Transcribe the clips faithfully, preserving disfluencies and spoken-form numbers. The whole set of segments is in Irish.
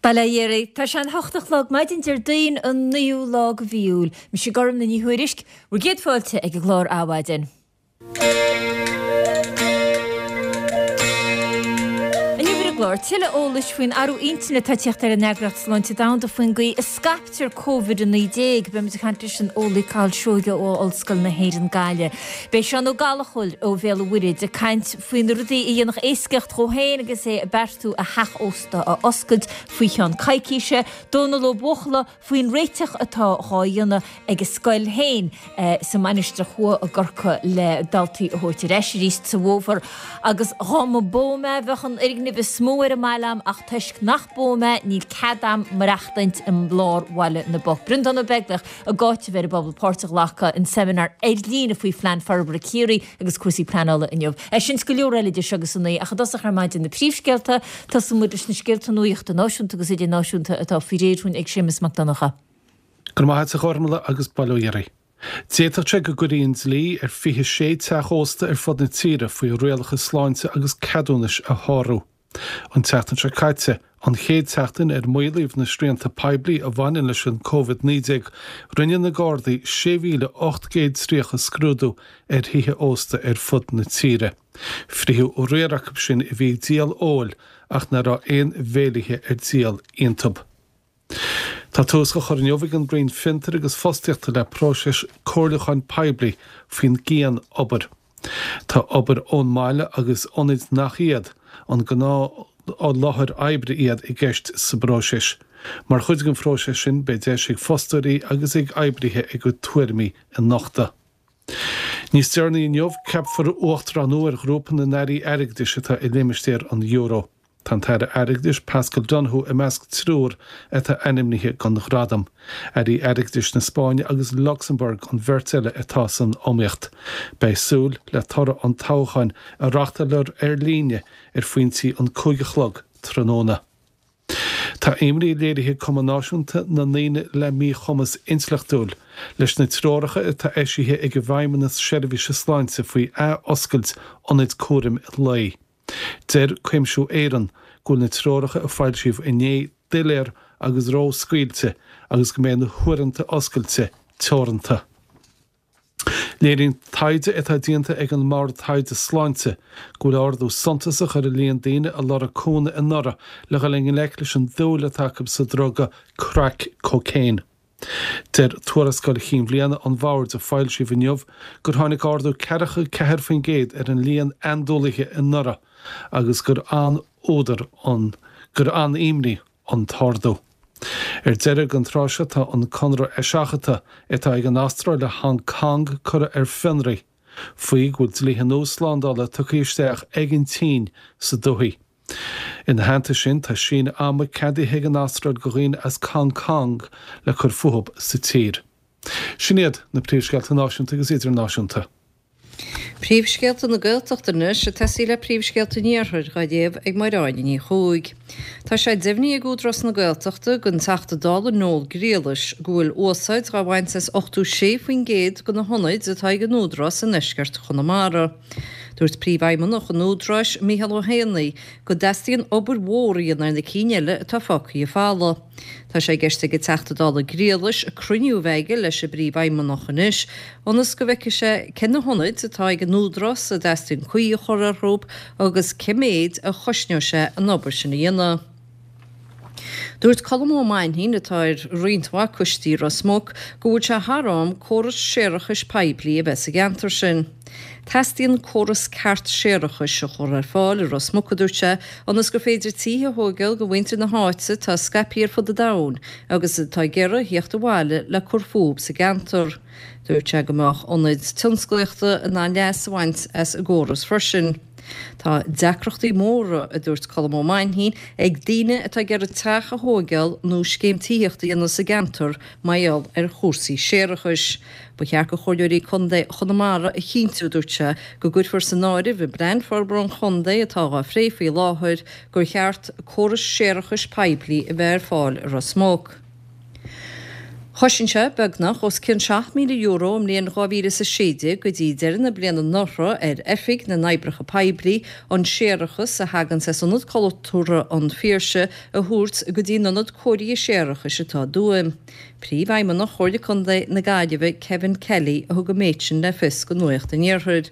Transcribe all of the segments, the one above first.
Bail ó Dhia oraibh. Tá sé an hocht a chlog maidin Déardaoin an naoú lá de mhí Iúil. Mise Gormfhlaith Ní Thuairisg, bhur gcéad fáilte ag an gclár Adhmhaidin. Inniu ar an gclár, tuilleadh eolais faoin athrú intinne atá ag teacht ar an Eagraíocht Sláinte Domhanda faoin gcaoi a scaiptear Covid a naoi déag. Beimid ag caint leis an eolaí Cathal Seoige ó Ollscoil na hÉireann Gaillimh. Beidh Seán Ó Gallchóir ó Bhéal an Mhuirthead ag caint faoi na rudaí a dhéanfadh éascaíocht dhó féin agus é ag beartú a theach ósta a oscailt faoi cheann coicíse. Dónal Ó Buachalla faoin réiteach atá dhá dhéanamh ag a scoil féin sa Mainistir Thuaidh i gCorcaigh le daltaí a thabhairt ar ais arís sa bhfómhar. Agus dhá mba bó mé bheadh an fhoirgneamh is mó ar an mbaile a'm ach toisc nach bó mé níl cead a'm maireachtaint i lár Bhaile na bPoc. Breandán Ó Beaglaoich ag áiteamh ar an bpobal páirt a ghlacadh in seimineár ar líne faoi Phlean Forbartha Ciarraí agus cúrsaí pleanála inniu. É sin 's go leor eile idir seo agus a naoi ach i dtosach ar maidin na príomhscéalta, tosóidh muid leis na scéalta nuachta náisiúnta agus idirnáisiúnta atá faoi réir dhúinn ag Séamus Mac Donncha. Go raibh maith agat a Ghormfhlaith agus bail ó Dhia oraibh. D'fhéadfadh sé go gcuirfí an dlí ar fiche sé teach ósta ar fud na tíre faoi rialacha sláinte agus ceadúnais a shárú. An tseachtain seo caite, an chéad tseachtain ar maolaíodh na srianta poiblí a bhaineann leis an Covid naoi déag, rinne na Gardaí sé mhíle ocht gcéad tríocha scrúdú ar thithe ósta ar fud na tíre. Frítheadh riar acu sin a bhí ag díol óil ach nach raibh aon bhéilithe ar díol iontub. Tá tús á chur inniu ag an Roinn Fiontair agus Fostaíochta le próiseas comhairliúcháin poiblí faoin gcian-obair. Tá obair ón mbaile agus ionaid nach iad an gnáth-láthair oibre iad i gceist sa bpróiseas. Mar chuid den phróiseas sin beidh deis ag fostóirí agus ag oibrithe a gcuid tuairimí a nochtadh. Níos deireanaí inniu, ceapfar uachtarán nua ar ghrúpa na n-airí airgeadais atá i limistéar an euro. Tá an tAire Airgeadais Paschal Donohoe i measc triúr atá ainmnithe don ghradam. Airí Airgeadais na Spáinne agus Lucsamburg an bheirt eile atá san iomaíocht. Beidh súil le toradh an toghcháin a reáchtáilfear ar líne ar phointí an cúig a chlog tráthnóna. Tá imní léirithe ag Cumann Náisiúnta na nDaoine le Míchumas Intleachtúil leis na treoracha atá eisithe ag an bhFeidhmeannas Seirbhíse Sláinte faoi ath-oscailt ionaid cúraim lae. Deir Cuimsiú Éireann go bhfuil na treoracha a foilsíodh inné doiléir agus ró-scaoilte agus go mbeidh na huaireanta oscailte teoranta. Léiríonn taighde atá déanta ag an mBord Taighde Sláinte go bhfuil ardú suntasach ar an líon daoine a lorg cúnamh anuraidh le dhul i ngleic leis an dúil atá acu sa druga crack cocaine. Deir tuarascáil chinn bhliana an Bhoird a foilsíodh inniu gur tháinig ardú ceathracha ceathair faoin gcéad ar an líon andúilithe anuraidh agus gur an-údar an gur an-imní an t-ardú. Ar deireadh an tráth seo tá an conradh eiseachadta atá ag an Astráil le Hong Kong curtha ar fionraí, faoi go bhfuil dlíthe nua slándála tugtha isteach ag an tSín sa dúthaigh. Ina theannta sin, tá síneadh ama ceadaithe ag an Astráil do dhaoine as Hong Kong le cur fúthu sa tír. Sin iad na príomhscéalta náisiúnta agus idirnáisiúnta. Príomhscéalta na Gaeltachta anois ag tosaí le príomhscéalta an Iarthair dhá léamh ag Máire Áine Ní Chuaig. Tá sé deimhnithe ag Údarás na Gaeltachta don Teachta Dála Noel Grealish go bhfuil úsáid dhá bhaint as ochtó sé faoin gcéad de na hionaid atá ag an Údarás i ndeisceart Chonamara. Dúirt Príomhfheidhmeannach an Údaráis, Mícheál Ó hÉanaí, go dteastaíonn obair mhór a dhéanamh ar na cinn eile atá fágtha folamh. Tá sé i gceist ag an Teachta Dála Grealish cruinniú a bheith aige leis an bPríomhfheidhmeannach anois ionas go bhfeicfidh sé cé na hionaid atá ag an Údarás a dteastaíonn caoi a chur orthu agus cé mhéid a chosnóidh sé an obair sin a dhéanamh. Dúirt Colm Ó Mainnín, atá ar roinnt mhaith coistí i Ros Muc, go bhfuil sé thar am córas séarachais poiblí a bheith sa gceantar sin. Teastaíonn córas ceart séarachais a chur ar fáil i Ros Muc, a dúirt sé, ionas gur féidir tithe a thógáil do mhuintir na háite atá scaipthe ar fud an domhain agus atá ag iarraidh a theacht abhaile le cur fúthu sa gceantar. Dúirt sé go mbeadh ionaid tionsclaíochta in ann leas a bhaint as an gcóras freisin. Tá deacrachtaí móra, a dúirt Colm Ó Mainnín, ag daoine atá ag iarraidh teach a thóigeáil nó scéim tithíochta a dhéanamh sa gceantar mar gheall ar chúrsaí séarachais. Ba cheart do Chomhairleoirí Contae Chonamara a chinntiú, a dúirt sé, go gcuirfear san áireamh i bPlean Forbartha an Chontae atá á phlé faoi láthair gur cheart córas séarachais poiblí a bheith ar fáil i Ros Muc. Chosain sé beagnach os cionn seacht míle euro i mbliain dhá mhíle is a sé déag go dtí deireadh na bliana anuraidh ar Oifig na nOibreacha Poiblí an séarachas a thaganns as Ionad Cultúrtha an Phiarsaigh a thabhairt go dtí an ionad cóirithe séarachais atá i dTuaim. Príomhfheidhmeannach Chomhairle Contae na Gaillimhe, Kevin Kelly, a thug an méid sin le fios do Nuacht an Iarthair.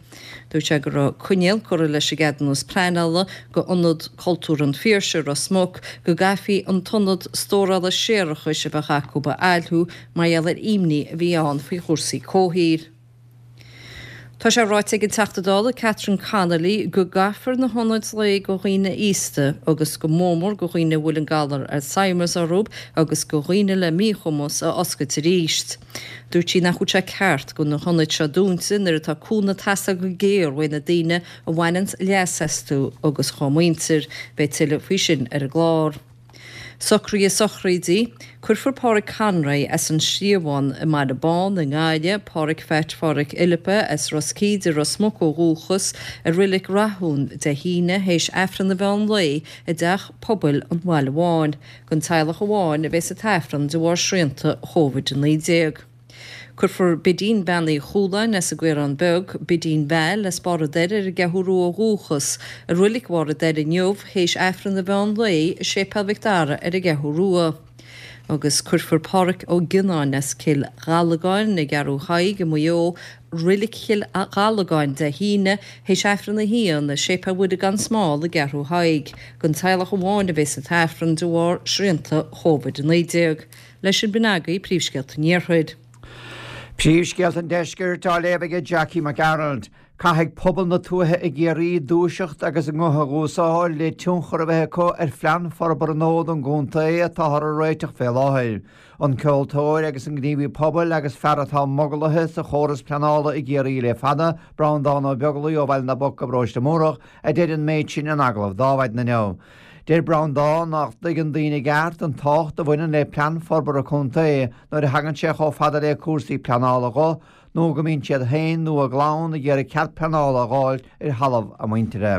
Dúirt sé go raibh coinníoll curtha leis an gceadúnas pleanála go Ionad Cultúrtha an Phiarsaigh i Ros Muc go gcaithfí an t-ionad stórála séarachais a bheadh acu a fhaillhiú mar gheall ar imní a bhí ann faoi chúrsaí comhshaoil. Tá sé ráite ag an Teachta Dála Catherine Connolly go gcaithfear na hionaid lae go dhaoine aosta agus go mór mór go dhaoine a bhfuil an galar Alzheimer's orthu agus go dhaoine le míchumas a oscailt arís. Dúirt sí nach bhfuil sé ceart go na hionaid seo dúnta nuair atá cúnamh ag teastáil go géar uaidh na daoine a bhaineanns leas astu agus dá muintir. Beidh tuilleadh faoi sin ar an gclár. Socruithe sochraide, Cuirfear Páraic Conroy as an Sliabhán i mBaile Bán i nGaillimh, Páraic Pheait Pháraic Fhilippa as Ros Cíde, Ros Muc ó dhúchas, i Reilig Rathún Dé hAoine théis Aifreann an mheán lae i dTeach Pobail an Bhaile Bháin. Don teaghlach amháin a bheas an t-aifreann de bharr srianta Covid a naoi déag. Cuirfear Bidín Bean Uí Chualáin as an gCaorán Beag, Bidín Val as Barr an Doire ar an gCeathrú Rua ó dhúchas, i Reilig Bharr an Doire inniu théis Aifreann an mheán lae i Séipéal Mhic Dara ar an gCeathrú Rua. Agus cuirfear Páraic Ó Gionnáin as Cill Ghallagáin i gCeathrú Thaidhg i Maigh Eo, Reilig Chill Ghallagáin Dé hAoine théis Aifreann a haon i Séipéal Mhuire gan Smál i gCeathrú Thaidhg. Don teaghlach amháin a bheas an t-aifreann de bharr srianta Covid a naoi déag. Leis sin b'in agaibh príomhscéalta an Iarthair. Príomhscéalta an Deiscirt á léamh aige Jackie Mac Gearailt. Caithfidh pobal na tuaithe i gCiarraí dúiseacht agus a nguth a dh'úsáid le tionchar a bheith acu ar phlean forbartha nua don gcontae atáthar a réiteach fé láthair. An ceoltóir agus an gníomhaí pobail agus fear atá mogallaithe sa chóras pleanála i gCiarraí le fada, Breandán Ó Beaglaoi ó Bhaile na bPoc i bparóiste Múrach, a deir an méid sin in agallamh d'Adhmhaidin inniu. Deir Breandán nach dtuigeann daoine i gceart an tábhacht a bhaineann le plean forbartha contae nuair a thagann sé chomh fada le cúrsaí pleanála dho nó go mbíonn siad féin nó a gclann ag iarraidh cead pleanála a dh'fháilt ar thalamh a muintire.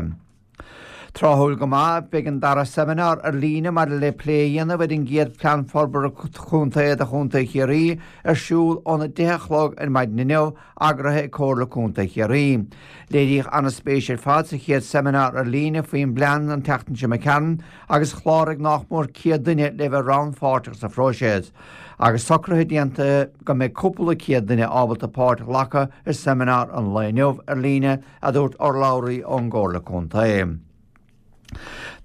Tráthúil go maith, beidh an dara seimineár ar líne maidir le plé a dhéanamh ar an gcéad Phlean Forbartha Contae do Chontae Chiarraí ar siúl óna deich a chlog ar maidin inniu, eagraithe ag Comhairle Contae Chiarraí. Léiríodh an-spéis ar fad sa chéad seimineár ar líne faoin bplean an tseachtain seo imigh tharainn agus chláraigh nách mór céad duine le bheith rannpháirteach sa phróiseas. Agus socruithe déanta go mbeidh cúpla céad duine ábalta páirt a ghlacadh i seimineár an lae inniu ar líne, a dúirt urlabhraí ón gComhairle Contae.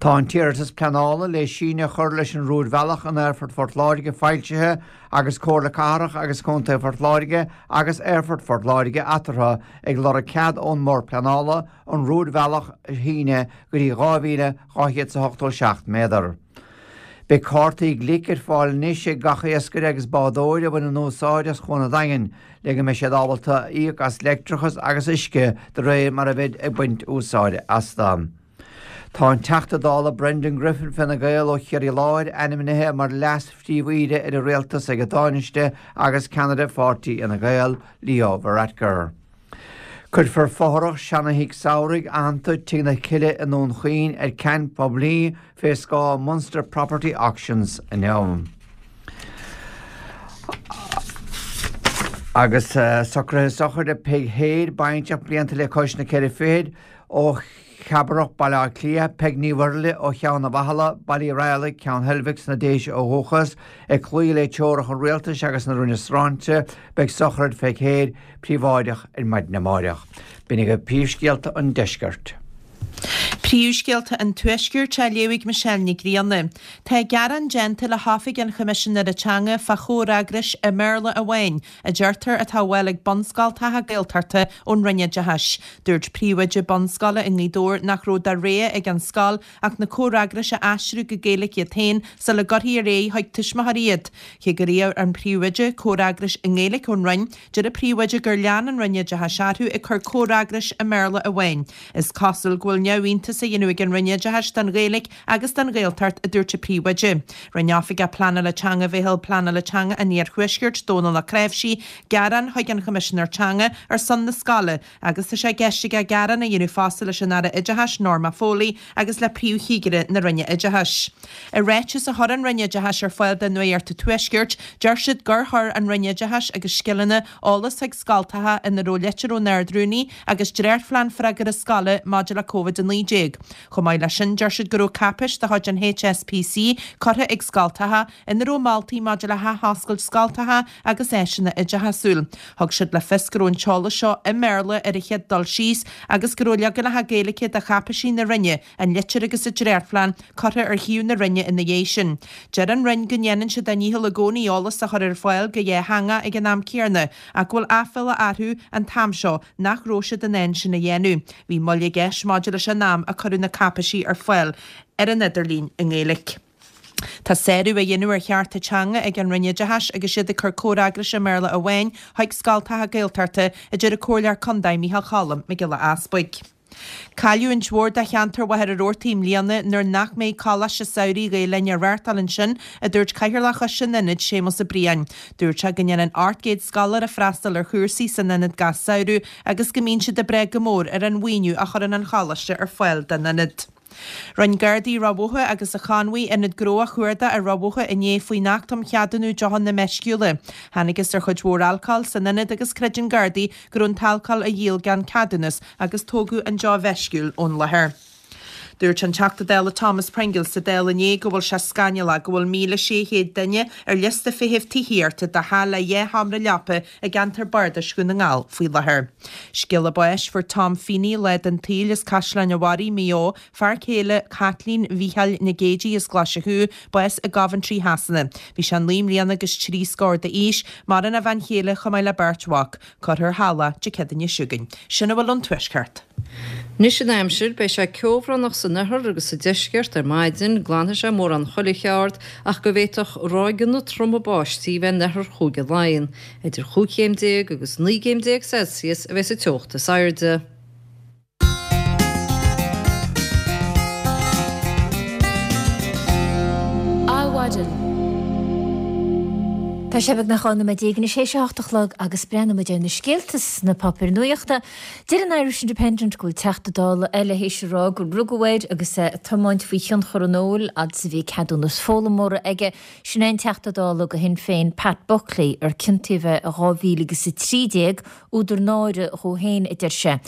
Tá an t-iarratas pleanála le síneadh a chur leis an rúidbhealach in Aerfort Phort Láirge foilsithe agus Comhairle Cathrach agus Contae Phort Láirge agus Aerfort Phort Láirge eatarthu ag lorg cead ón mBord Pleanála an rúidbhealach a shíneadh go dtí dhá mhíle dhá chéad is a hochtó seacht méadar. Beidh cártaí Glik ar fáil anois ag gach iascaire agus bádóir a bhaineann úsáid as Cuan an Daingin le go mbeidh siad ábalta íoc as leictreachas agus uisce de réir mar a bheid ag baint úsáide astu. Tá an Teachta Dála Brendan Griffin, Fine Gael ó Chiarraí Láir, ainmnithe mar Leas-Phríomh-Aoire ar an Rialtas ag an Tánaiste agus ceannaire pháirtí Fhine Gael, Leo Varadkar. Cuirfear fothrach seana-thigh samhraidh aitheanta Tigh na Cille i nDún Chaoin ar ceant poiblí fé scáth Munster Property Auctions inniu. Agus socruithe sochraide Peig Heade, baintreach blianta le cois na ceithre fichid, ó Cheaparach, Baile Átha Cliath, Peig Ní Mhuirthile ó Cheann an Bhathala, Baile Uí Raghallaigh, Ceann Heilbhic sna Déise ó dhúchas, ag cloí le teoracha an Rialtais agus na Roinne Sláinte, beidh sochraid Pheig Heade príobháideach ar maidin amáireach. B'in agaibh príomhscéalta an deiscirt. Príomhscéalta an Tuaiscirt á léamh ag Michelle Nic Grianna. Tá gearán déanta le hOifig an Choimisinéara Teanga fá chomhfhreagrais i mBéarla amháin, a deirtear atá á bhfáil ag bunscoltacha Gaeltachta ón Roinn Oideachais. Dúirt príomhoide bunscoile i nGaoth Dobhair nach raibh de rogha ag an scoil ach na comhfhreagrais a aistriú go Gaeilge iad féin sula gcuirfí ar aghaidh chuig tuismitheoirí iad. Cé gur iarr an príomhoide comhfhreagrais i nGaeilge ón Roinn, deir an príomhoide gur lean an Roinn Oideachais orthu ag cur comhfhreagrais i mBéarla amháin. Is cosúil go bhfuil neamhaontas tiomantas a dhéanamh ag an Roinn Oideachais don Ghaeilge agus don Ghaeltacht, a dúirt an príomhoide. Rinne Oifigeach Pleanála Teanga Mheitheal Pleanála Teanga an Iarthuaiscirt, Dónal Ó Cnáimhsí, gearán chuig an Choimisinéir Teanga ar son na scoile agus tá sé i gceist aige gearán a dhéanamh fosta leis an Aire Oideachais, Norma Foley, agus le Príomh-Chigire na Roinne Oideachais. I ráiteas a chuir an Roinn Oideachais ar fáil do Nuacht an Tuaiscirt, deir siad gur chuir an Roinn Oideachais agus Scileanna eolas chuig scoltacha ina raibh litir ón Ard-Rúnaí agus dréachtphlean freagartha scoile maidir le Covid a naoi déag. Chomh maith leis sin, deir siad go raibh cáipéis de chuid an HSPC curtha ag scoltacha ina raibh moltaí maidir le hathoscailt scoltacha agus áiseanna oideachasúil. Thug siad le fios go raibh an t-eolas seo i mBéarla ar an chéad dul síos agus go raibh leaganacha Gaeilge de cháipéisí na Roinne, an litir agus an dréachtphlean, curtha ar shuíomh na Roinne ina dhiaidh sin. Deir an Roinn go ndéanann siad a ndícheall i gcónaí eolas a chur ar fáil go dhátheangach ag an am céanna ach go bhfuil aiféala orthu an t-am seo nach raibh siad in ann sin a dhéanamh. Bhí moill i gceist maidir leis an am a cuireadh na cáipéisí ar fáil ar an idirlíon i nGaeilge. Tá sárú á dhéanamh ar chearta teanga ag an Roinn Oideachais agus iad ag cur comhfhreagrais i mBéarla amháin chuig scoltacha Gaeltachta, a deir an Comhairleoir Contae Micheál Cholm Mac Giolla Easbuig. Cailliúint mhór do cheantar Mhachaire Rabhartaigh i mbliana nuair nach mbeidh Coláiste Samhraidh Ghael Linn á reáchtáil ansin, a dúirt Cathaoirleach Choiste an Ionaid, Séamus Ó Briain. Dúirt sé go ndéanann ocht gcéad scoláire freastal ar chúrsaí san ionad gach samhradh agus go mbíonn siad ag brath go mór ar an mhaoiniú a chuireann an choláiste ar fáil don ionad. Rinne Gardaí Ráth Bhoth agus an Chonmhaigh ionad gnó a chuardach i Ráth Bhoth inné faoin Acht um Cheadúnú Deochanna Meisciúla. Thángthas ar chuid mhór alcóil san ionad agus creideann Gardaí go raibh an t-alcól á dhíol gan ceadúnas agus tógadh an deoch mheisciúil ón láthair. Dúirt an Teachta Dála Thomas Pringle sa Dáil inné go bhfuil sé scannalach go bhfuil míle sé chéad duine ar liosta feithimh tithíochta do theach le dhá sheomra leapa i gceantar bardais Dhún na nGall faoi láthair. Scéala báis, Fuair Tom Feeney lá den tsaol as Caisleán an Bharraigh, Maigh Eo, fear céile Chaitlín Mhícheáil Nic Géidigh as Glaise Chú, bás i gCoventry Shasana. Bhí sé naoi mbliana agus trí scór d'aois, maireann a bhean chéile chomh maith le beirt mhac. Cuirfear thall é Dé Céadaoine seo chugainn. Sin a bhfuil ón Tuaisceart. Anois an aimsir, beidh sé ceobhránach san oirthear agus sa deisceart ar maidin, glanfaidh sé mórán chuile cheard ach go bhféadfadh ráigeanna troma báistí bheith in oirthear Chúige Laighean. Idir chúig chéim déag agus naoi gcéim déag Celsius a bheas an teocht is airde. Adhmhaidin. Tá sé beagnach dhá nóiméad déag anois théis a hocht a chlog agus breathnóidh muid ar na scéalta sna páipéir nuachta. Deir an Irish Independent go bhfuil Teachta Dála eile théis a rá gur rugadh air agus é ag tiomáint faoi thionchar an óil fhad is a bhí ceadúnas foghlaimeora aige. Sin é an Teachta Dála do Shinn Féin Pat Buckley ar ciontaíodh é i dhá mhíle agus a trí déag, údar náire dhó féin a deir sé.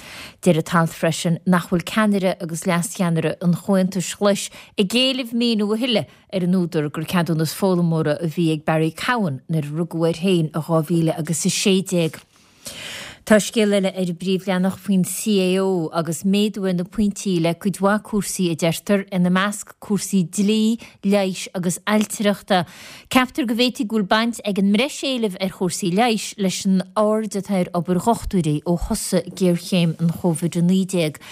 Deir an t-alt freisin nach bhfuil ceannaire agus leascheannaire an Chomhaontais Ghlais ag éileamh míniú a thuilleadh ar an údar gur ceadúnas foghlaimeora a bhí ag Barry Cowen nuair a rugadh air féin i dhá mhíle agus a sé déag. Tá scéal eile ar an bpríomhleathanach faoin CAO agus méadú ar na pointí le cuid mhaith cúrsaí a deirtear, ina measc cúrsaí dlí, leighis agus ailtireachta. Ceaptar go bhféadfaidh go bhfuil baint ag an mbreis éilimh ar chúrsaí leighis leis an aird atá ar obair dhochtúirí ó thosaigh géarchéim an Chóivid a naoi déag.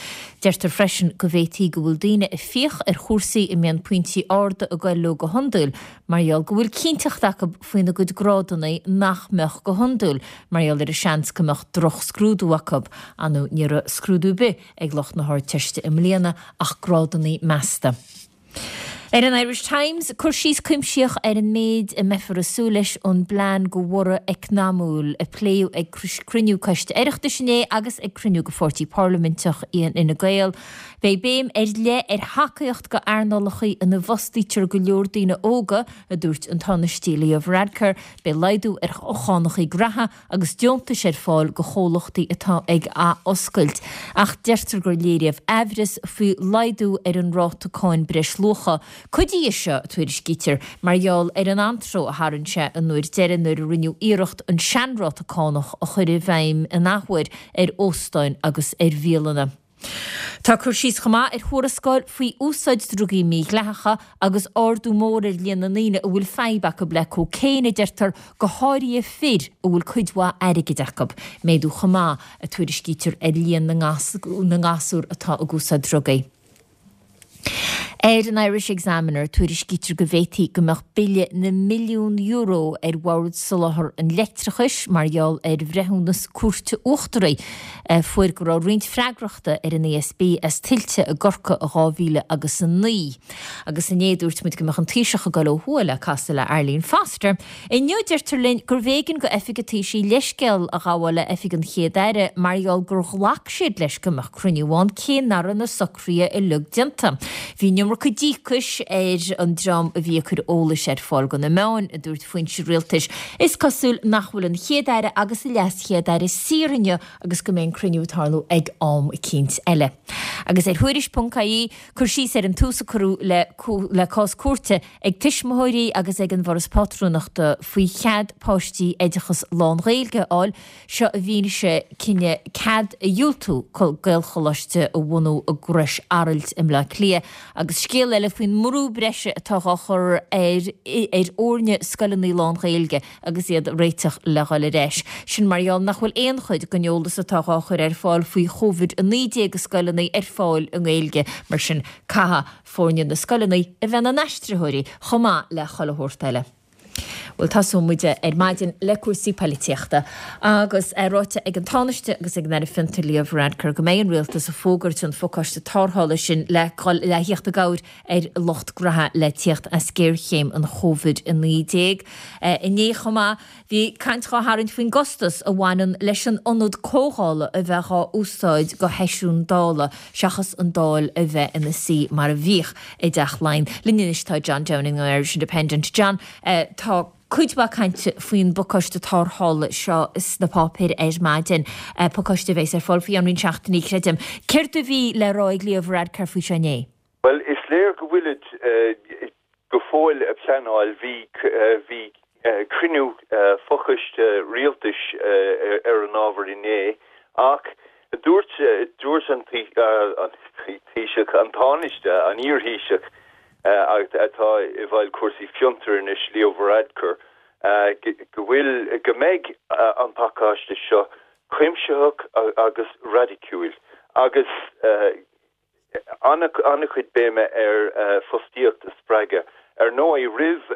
Deirtear freisin go bhféadfaí go bhfuil daoine ag fiach ar chúrsaí a mbíonn pointí arda ag goil leo go hiondúil mar gheall go bhfuil cinnteacht acu faoina gcuid grádanna nach mbeadh go hiondúil mar gheall ar an seans go mbeadh drochscrúdú acu. Ar ndóigh ní raibh scrúdú ar bith ag lucht na hArdteiste i mbliana ach grádanna measta. Ar an Irish Times, cur síos cuimsitheach ar an méid a mbeifear ag súil leis ón bplean do bhorradh eacnamúil a pléadh ag cruinniú Coiste Oireachtais inné agus ag cruinniú de Pháirtí Parlaiminteach Fhine Gael. Beidh béim ar leith ar thacaíocht do earnálacha ina bhfostaítear go leor daoine óga, a dúirt an Tánaiste Leo Varadkar. Beidh laghdú ar chánacha graithe agus deontais ar fáil do chomhlachtaí atá ag athoscailt. Ach deirtear gur léiríodh aimhreas faoi laghdú ar an ráta cáin breisluacha. Cuid de seo, tuairiscítear, mar gheall ar an antró a tharraing sé an uair deiridh nuair a rinneadh iarracht an seanráta cánach a chur i bhfeidhm in athuair ar óstáin agus ar bhialanna. Tá cur síos chomh maith ar thuarascáil faoi úsáid drugaí mídhleathacha agus ardú mór ar líon na ndaoine a bhfuil fadhb acu le cócaon, a deirtear, go háirithe fir a bhfuil cuid mhaith airgid acu. Méadú chomh maith, a tuairiscítear, ar líon na ngasúr atá ag úsáid drugaí. Ar an Irish Examiner, tuairiscítear go bhféadfaí go mbeadh bille na milliún euro ar Bhord Soláthair an Leictreachais mar gheall ar bhreithiúnas Cúirte Uachtaraí a fuair go raibh roinnt freagrachta ar an E S B as tuilte i gCorcaigh i dhá mhíle agus a naoi. Agus inné dúirt muid go mbeadh an Taoiseach ag dul ó thuaidh le casadh le Arlene Foster. Inniu deirtear linn gurbh éigean go Oifig an Taoisigh leithscéal a ghabháil le Oifig an Chéad Aire mar gheall gur ghlac siad leis go mbeadh cruinniú ann cé nach raibh na socruithe uilig déanta. Bhí an iomarca díocais ar an dream a bhí ag cur eolais ar fáil do na meáin, a dúirt foinse rialtais. Is cosúil nach bhfuil an Chéad-Aire agus a LeasChéad-Aire saor inniu agus go mbeidh an cruinniú ag tarlú ag am eicínt eile. Agus ar Thuairisc ponc I E, cur síos ar an tús a cuireadh le le cás cúirte ag tuismitheoirí agus ag an bhForas Pátrúnachta faoi chead páistí oideachas lán-Ghaeilge a fháil, seo i bhfianaise cinneadh cead a dhiúltú Gaelcholáiste a bhunú i gCrois Araild i mBleá Cliath. Agus scéal eile faoin mbrú breise atá á chur ar ar fhoirne scoileanna lán-Ghaeilge agus iad réiteach le dhul ar ais. Sin mar gheall nach bhfuil aon chuid den eolas atá á chur ar fáil faoi Covid a naoi déag i scoileanna ar fáil i nGaeilge, mar sin caithfidh foirne na scoileanna a bheith ina n-aistritheoirí chomh maith le chuile shórt eile. Bhuel, tosóidh muid ar maidin le cúrsaí polaitíochta agus é ráite ag an Tánaiste agus ag an Aire Fiontar Leo Varadkar go mbeidh an rialtas ag fógairt an phacáiste tarrthála sin le le theacht i gcabhair ar lucht gnó le tíocht as géarchéim an Covid a naoi déag. Inné chomh maith bhí caint á tharraingt faoin gcostas a bhaineann leis an ionad comhdhála a bheith á úsáid go sheisiún Dála seachas an Dáil a bheith ina suí mar a bhíodh i dTeach Laighean. Linn anois tá John Downing an Irish Independent. John, uh, tá cuid mhaith cainte faoin bpacáiste tarrthála seo sna páipéir ar maidin, uh, pacáiste a bheas ar fáil faoi cheann roinnt seachtainí, creidim. Céard a bhí le rá ag Leo Varadkar faoi seo inné? Well, is léir go bhfuilid uh, go fóill ag pleanáil. bhí uh, bhí uh, cruinniú uh, fochoiste rialtais uh, ar an ábhar inné, ach dúirt dúirt an Taoiseach, an Tánaiste, an iar-Thaoiseach atá i bhfeighil cúrsaí fiontar anois, Leo Varadkar, go bhfuil go mbeidh an pacáiste seo cuimsitheach agus raidiciúil agus an-chuid béime ar fostaíocht a spreagadh. Ar ndóigh, roimh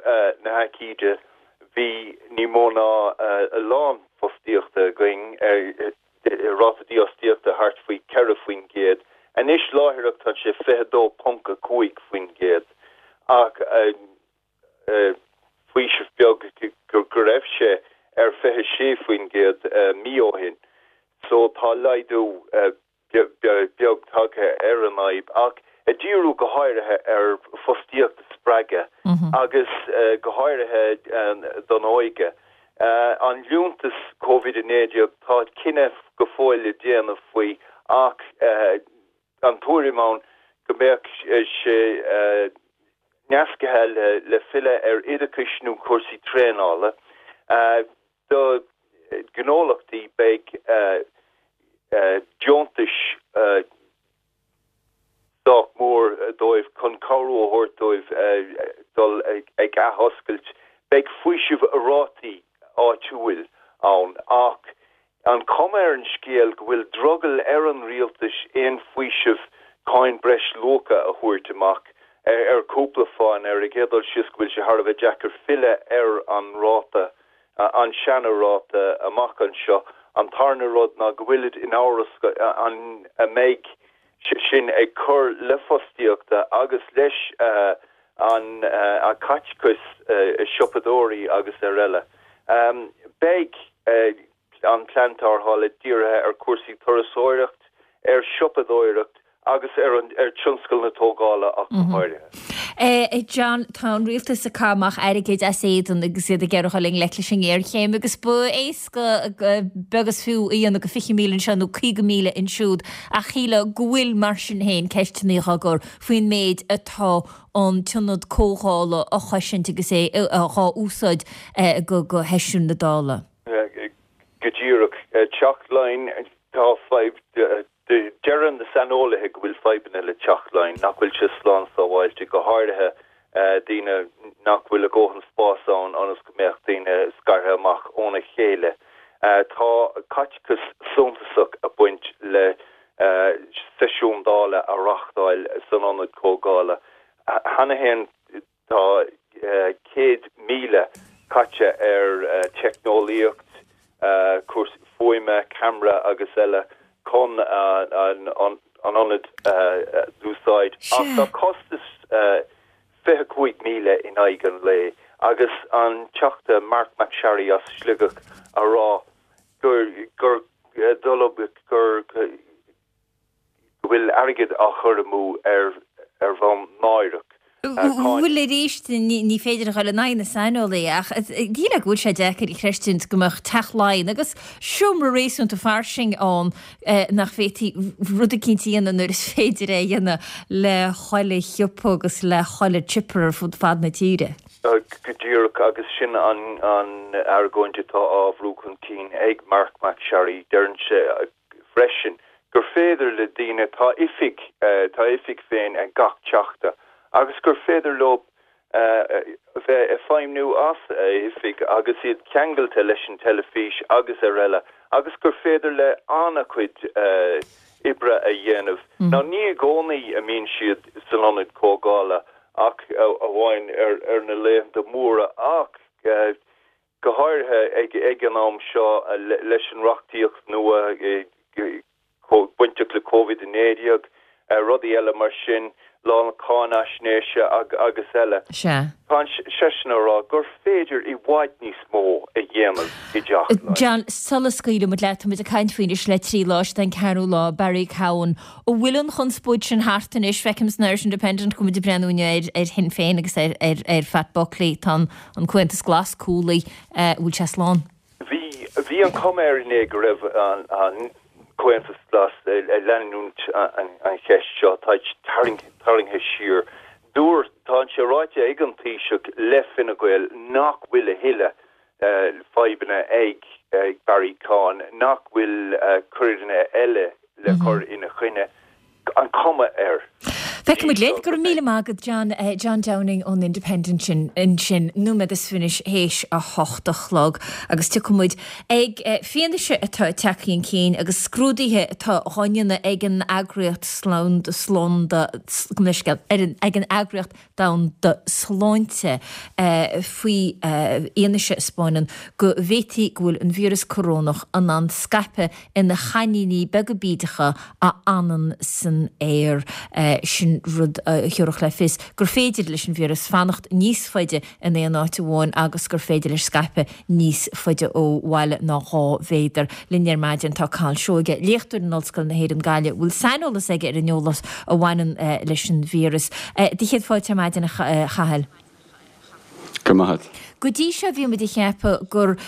na haicíde bhí ní mó ná a lán fostaíochta againn, ráta dífhostaíochta thart faoi ceithre faoin gcéad. Anois láithreach tá sé fiche dó ponc a cúig faoin gcéad, ach faoiseamh beag go go raibh sé ar fiche sé faoin gcéad mí ó shin. So tá laghdú beag tagtha ar an fhadhb, ach ag díriú go háirithe ar fostaíocht spreagadh agus go háirithe don óige. An liúntas Covid a naoi déag, tá cinneadh go fóill le déanamh faoi, ach an tuairim ann go mbeadh sé nasctha le le filleadh ar oideachas nó cúrsaí traenála. Do gnólachtaí beidh deontais sách mór dóibh chun cabhrú a thabhairt dóibh dul ag athoscailt. Beidh faoiseamh rátaí áitiúil ann, ach an chuma ar an scéal go bhfuil drogall ar an rialtas aon faoiseamh cáin breis luacha a thabhairt amach ar cúpla fáth. Ar an gcéad dul síos, go bhfuil sé thar a bheith deacair filleadh ar an ráta, an seana-ráta, amach anseo. An tarna rud ná go bhfuilid in amhras an a mbeidh sin ag cur le fostaíochta agus leis an caiteachas siopadóirí agus ar eile. Beidh an plean tarrthála dírithe ar cúrsaí turasóireacht, ar siopadóireacht agus ar an ar tionscal na tógála ach go háirithe. Eh, John, tá an rialtas ag caitheamh amach airgid as éadan agus iad ag iarraidh dul i ngleic leis an ngéarchéim, agus ba éasca beag is fiú a dhéanamh go fiche míle anseo nó caoga míle ansiúd, ach shílfeá go bhfuil mar sin féin ceisteanna á gcur faoin méid atá an t-ionad comhdhála á chosaint agus é á úsáid go go sheisiún na Dála. Go díreach. Teach Laighean, tá fadhb, deireann na saineolaithe go bhfuil fadhbanna le Teach Laighean, nach bhfuil sé slán sábháilte, go háirithe daoine nach bhfuil a ndóthain spás ann ionas go mbeadh daoine scartha amach óna chéile. Tá caiteachas suntasach ag baint le seisiún Dála a reáchtáil san ionad comhdhála. Cheana féin tá céad míle caite ar teicneolaíocht, cúrsaí fuaime, ceamara agus eile chun an ionad a d'úsáid. Ach tá costas fiche cúig míle in aghaidh an lae agus an Teachta Marc MacSharry as Sligeach a rá gur gur gur go bhfuil airgead á chur amú ar ar bhonn náireach. Bhuel arís, ní féidir a dhul in aghaidh na saineolaí ach díreach go bhfuil sé deacair a chreistiúint go mbeadh Teach Laighean agus seomra réasúnta fairsing ann nach bhféadfaí rud eicínt a dhéanamh nuair is féidir é a dhéanamh le chuile shiopa agus le chuile chipper ar fud fad na tíre. Go díreach agus sin an an argóint atá á bhrú chun cinn ag Marc MacSharry. Deireann sé freisin gur féidir le daoine, tá oifig, tá oifig féin ag gach teachta agus gur féidir leo bheith ag feidhmiú as a oifig agus iad ceangailte leis an teilifís agus araile agus gur féidir le an-chuid oibre a dhéanamh. Now ní i gcónaí a mbíonn siad san ionad comhdhála ach amháin ar na laethanta móra ach go háirithe ag an am seo leis an reachtaíocht nua bainteach le Covid a naoi déag, rudaí eile mar sin, lá na cáinaisnéise agus eile. Sea. Tá seisean a rá gur féidir i bhfad níos mó a dhéanamh i dTeach Laighean. John, sula scaoileann muid leat, tá muid ag caint faoi anois le trí lá, is é an ceathrú lá, Barry Cowen. An bhfuil an chonspóid sin thart anois? Feicim san Irish Independent go bhfuil muid ag breathnú inniu ar ar Shinn Féin agus ar ar ar Phat Buckley. Tá an an Comhaontas Glas cúlaithe. An bhfuil sé slán? Bhí bhí an chuma air inné go raibh an an Comhaontas Glas ag leanúint an cheist seo, tá tarraingthe siar. Dúirt, tá sé ráite ag an Taoiseach le Fine Gael nach bhfuil a thuilleadh fadhbanna ag Barry Cowen, nach bhfuil coireanna eile le cur ina choinne, an chuma air. Feicfidh muid linn. Go raibh míle maith agat, John. John Downing ón Independent sin ansin, nóiméad is fiche théis a hocht a chlog. Agus tiocfaidh muid ag fianaise atá ag teacht chun cinn agus scrúduithe atá á ndéanamh ag an eagraíocht slánda, gabh mo leithscéal, ag an Eagraíocht Domhanda Sláinte faoi fhianaise a 'spáineann go bhféadfaí go bhfuil an víreas corónach in ann scaipeadh ina chainníní beaga bídeacha a fhanann san aer. Sin rud a thabharfadh le fios gur féidir leis an víreas fanacht níos faide in aon áit amháin agus gur féidir leis scaipeadh níos faide ó bhaile ná dhá mhéadar. Linn ar maidin tá Cathal Seoige, léachtóir in Ollscoil na hÉireann Gaillimh, a bhfuil saineolas aige ar an eolas a bhaineann leis an víreas. Do chéad fáilte ar maidin, a Chathail. Go raibh maith agat. Go dtí seo bhí muid ag ceapadh gur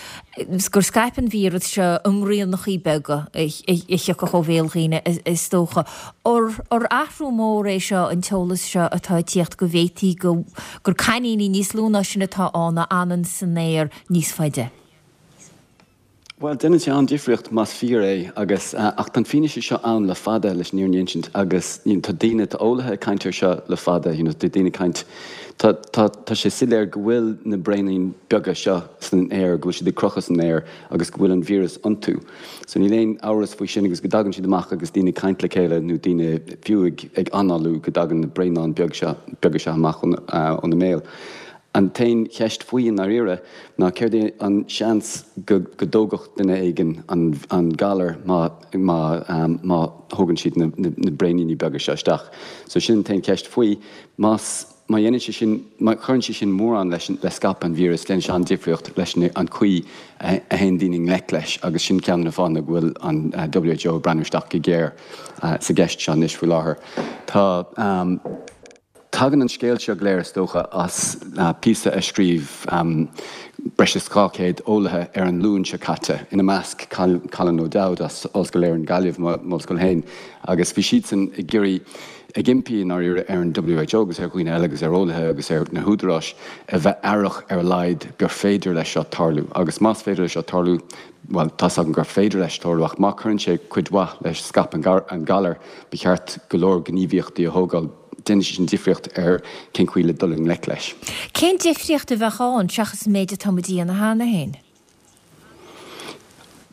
gur scaip an víreas seo i mbraonachaí beaga a thiocfadh ó bhéal dhaoine is dócha. Ar athrú mór é seo an t-eolas seo atá ag tíocht go bhféadfaí go gur cainníní níos lú ná sin atá ann a fhanann san aer níos faide? Bhuel, déanann sé an-difríocht más fíor é agus, ach tá an fianaise seo ann le fada leis an fhírinne a insint agus you know tá daoine, tá eolaithe ag caint air seo le fada, you know tá daoine ag caint, tá, tá, tá sé soiléir go bhfuil na braoiníní beaga seo san aer, go bhfuil siad ag crochadh san aer agus go bhfuil an víreas iontu. So níl aon amhras faoi sin agus go dtagann siad amach agus daoine ag caint le chéile nó daoine fiú ag, ag análú go dtagann na braonáin beag seo, beaga seo amach óna mbéal. An t-aon cheist faoi i ndáiríre ná céard é an seans go dtógfadh duine éigin an galar má má thógann siad na braoiníní beaga seo isteach. So sin an t-aon cheist faoi. Más má dhéanann sé sin, má chuireann sé sin mórán leis le scaipeadh an víris, déanann sé an-difríocht leis an chaoi a théann daoine i ngleic leis agus sin ceann de na fáthanna go bhfuil an W H O ag breathnú isteach go géar sa gceist seo anois faoi láthair. Tá. Tagann an scéal seo go léir, is dócha, as píosa a scríobh breis is dhá chéad eolaithe ar an Luan seo caite, ina measc Colin O'Dowd as Ollscoil Éireann Gaillimh, m'ollscoil féin, agus bhí siadsan ag iarraidh, ag impí i ndáiríre ar an W H O agus ar dhaoine eile agus ar eolaithe agus ar na húdaráis a bheith aireach ar a laghad gur féidir leis seo tarlú. Agus más féidir leis seo tarlú, bhuel, tá's againn gur féidir leis tarlú, ach má chuireann sé cuid mhaith le scaipeadh an ghalair, ba cheart go leor gníomhaíochtaí a thógáil. Déanann sé sin difríocht ar cén chaoi le dul i ngleic leis. Cén difríocht a bheadh ann seachas an méid atá muid a dhéanamh cheana féin?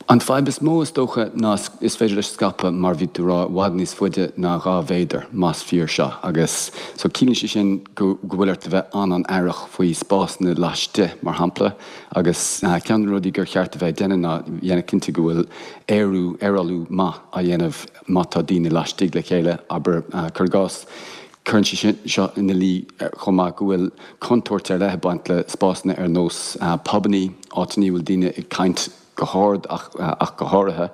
An fadhb is mó is dócha ná is féidir leis scaipeadh mar bhí tú ag rá i bhfad níos faide ná dhá mhéadar más fíor seo agus so ciallaíonn sé sin go go bhfuil ort a bheith an-an-aireach faoi spásanna laistigh mar shampla agus ceann de na rudaí gur cheart a bheith ag déanamh ná dhéanamh cinnte go bhfuil aerú aerálú maith á dhéanamh má tá daoine laistigh le chéile abair cuir i gcás Cuireann sé seo ina luí chomh maith go bhfuil contúirt ar leith ag baint le spásanna ar nós pubannaí, áiteanna a bhfuil daoine ag caint go hard ach ach go háirithe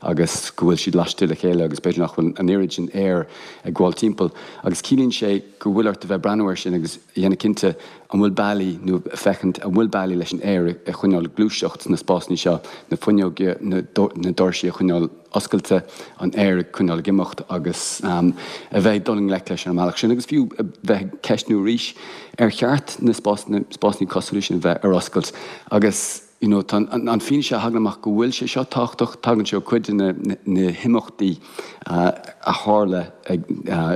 agus go bhfuil siad laistigh le chéile agus b'fhéidir nach bhfuil an oiread sin aeir ag gabháil timpeall agus ciallaíonn sé go bhfuil ort a bheith ag breathnú air sin agus a dhéanamh cinnte an bhfuil bealaí nó féachaint an bhfuil bealaí leis an aer a choinneáil ag gluaiseacht sna spásanna seo, na fuinneoga, na na doirsí a choinneáil oscailte, an aer a choinneáil ag imeacht agus a bheith ag dul i ngleic leis ar an mbealach sin agus fiú a bheith ag ceistniú arís ar cheart na spásanna spásanna cosúil leis sin a bheith ar oscailt agus you know tá an fianaise a thagann amach go bhfuil sé seo tábhachtach, tagann sé ó cuid de na himeachtaí a tharla i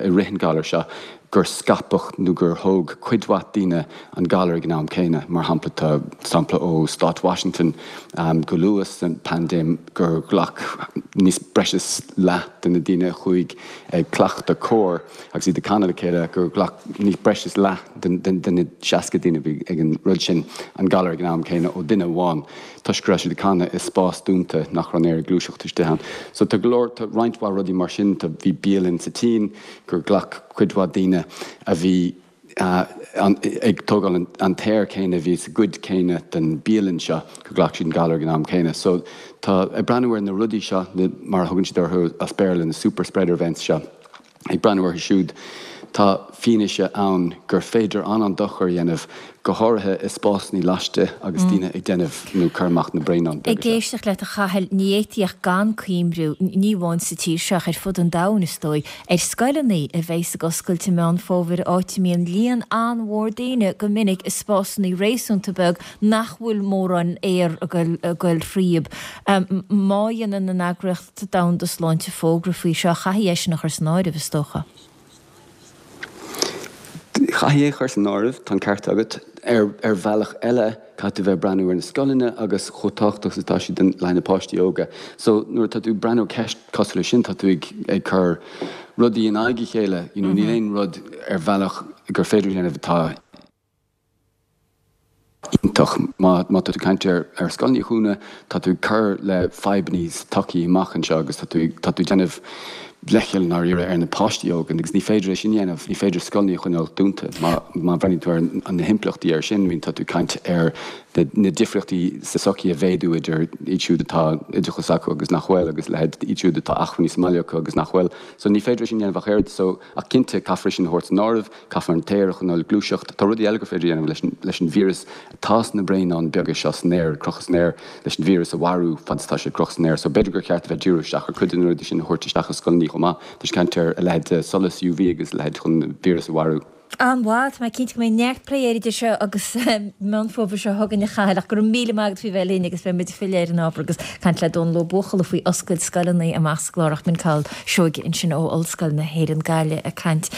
rith an ghalair seo, gur scaipeadh nó gur thóg cuid mhaith daoine an galar ag an am céanna. Mar shampla, tá sampla ó Stát Washington go luath sa bpaindéim gur ghlac níos breis is leath de na daoine a chuaigh ag cleachtadh cóir agus iad ag canadh le chéile, gur ghlac níos breis is leath de na seasca duine a bhí ag an rud sin an galar ag an am céanna ó duine amháin toisc go raibh siad ag canadh i spás dúnta nach raibh an aer ag gluaiseacht istigh ann. So tá go leor, tá roinnt mhaith rudaí mar sin, tá, bhí bialann sa tSín gur ghlac cuid mhaith daoine a bhí ag tógáil an t-aer céanna a bhí sa gcuid céanna den bialann seo, gur ghlac siad an galar ag an am céanna. So tá, ag breathnú ar na rudaí seo, na, mar a thugann siad orthu as Béarla, na super spreader events seo, Ag breathnú orthu siúd, tá fianaise ann gur féidir an-an-dochar a dhéanamh, go háirithe i spásanna laistigh agus daoine ag déanamh nó cur amach na braonáin Ag beaga seo. éisteacht leat a Chathail, ní fhéadfaí ach gan cuimhniú, ní amháin sa tír seo ach ar fud an domhain is dóigh, ar scoileanna a bheas ag oscailt i Meán Fómhair, áit a mbíonn líon an-mhór daoine go minic i spásanna réasúnta beag nach bhfuil mórán aer ag goil thríob. Má dhéanann an Eagraíocht Domhanda Sláinte fógra faoi seo, chaithfí é sin a chur san áireamh, is dócha. Chaithfí é a chur san áireamh, tá an ceart agat. Ar ar bhealach eile, caithfidh tú bheith ag breathnú ar na scoileanna agus chomh tábhachtach is atá siad don le na páistí óga. So nuair atá tú ag breathnú ar ceist cosúil leis sin, tá tú ag ag cur rudaí in aghaidh a chéile, you know, níl aon rud ar bhealach gur féidir a dhéanamh atá iontach. Má tá tú ag caint ar scoileanna a dhúnadh, tá tú ag cur le fadhbanna sa tsochaí amach anseo agus tá tú tá tú ag déanamh leithcheal i ndáiríre ar na páistí óga agus ní féidir é sin a dhéanamh, ní féidir scoileanna a choinneáil dúnta. Má má bhreathnaíonn tú ar na himpleachtaí air sin, I mean tá tú ag caint ar na na difríochtaí sa tsochaí a mhéadú idir iad siúd atá oideachas acu agus nach bhfuil agus leithéid iad siúd atá acmhainní sa mbaile acu agus nach bhfuil. So ní féidir é sin a dhéanamh ach oiread. So ach cinnte caithfear é sin a thabhairt san áireamh. Caithfear an t-aer a choinneáil ag gluaiseacht. Tá rudaí eile gur féidir a dhéanamh leis an leis an víreas atá sna braonáin beaga seo san aer, ag crochadh san aer, leis an víreas a mharú fad is atá sé ag crochadh san aer. So b'fhéidir gur cheart a bheith díriú isteach ar cuid de na rudaí sin a thabhairt isteach i scoileanna chomh maith. Tá sé ag caint ar a leithéid de solas UV agus a leithéid chun an víreas a mharú. An-mhaith, tá mé cinnte go mbeidh neart plé air idir seo agus Meán Fómhair seo chugainn a Chathail, ach go raibh míle maith agat faoi bheith linn agus beidh muid ag filleadh ar an ábhar agus caint le Dónal Ó Buachalla faoi oscailt scoileanna amach sa gclár ach b'in Cathal Seoige ansin ó Ollscoil na hÉireann Gaillimh ag caint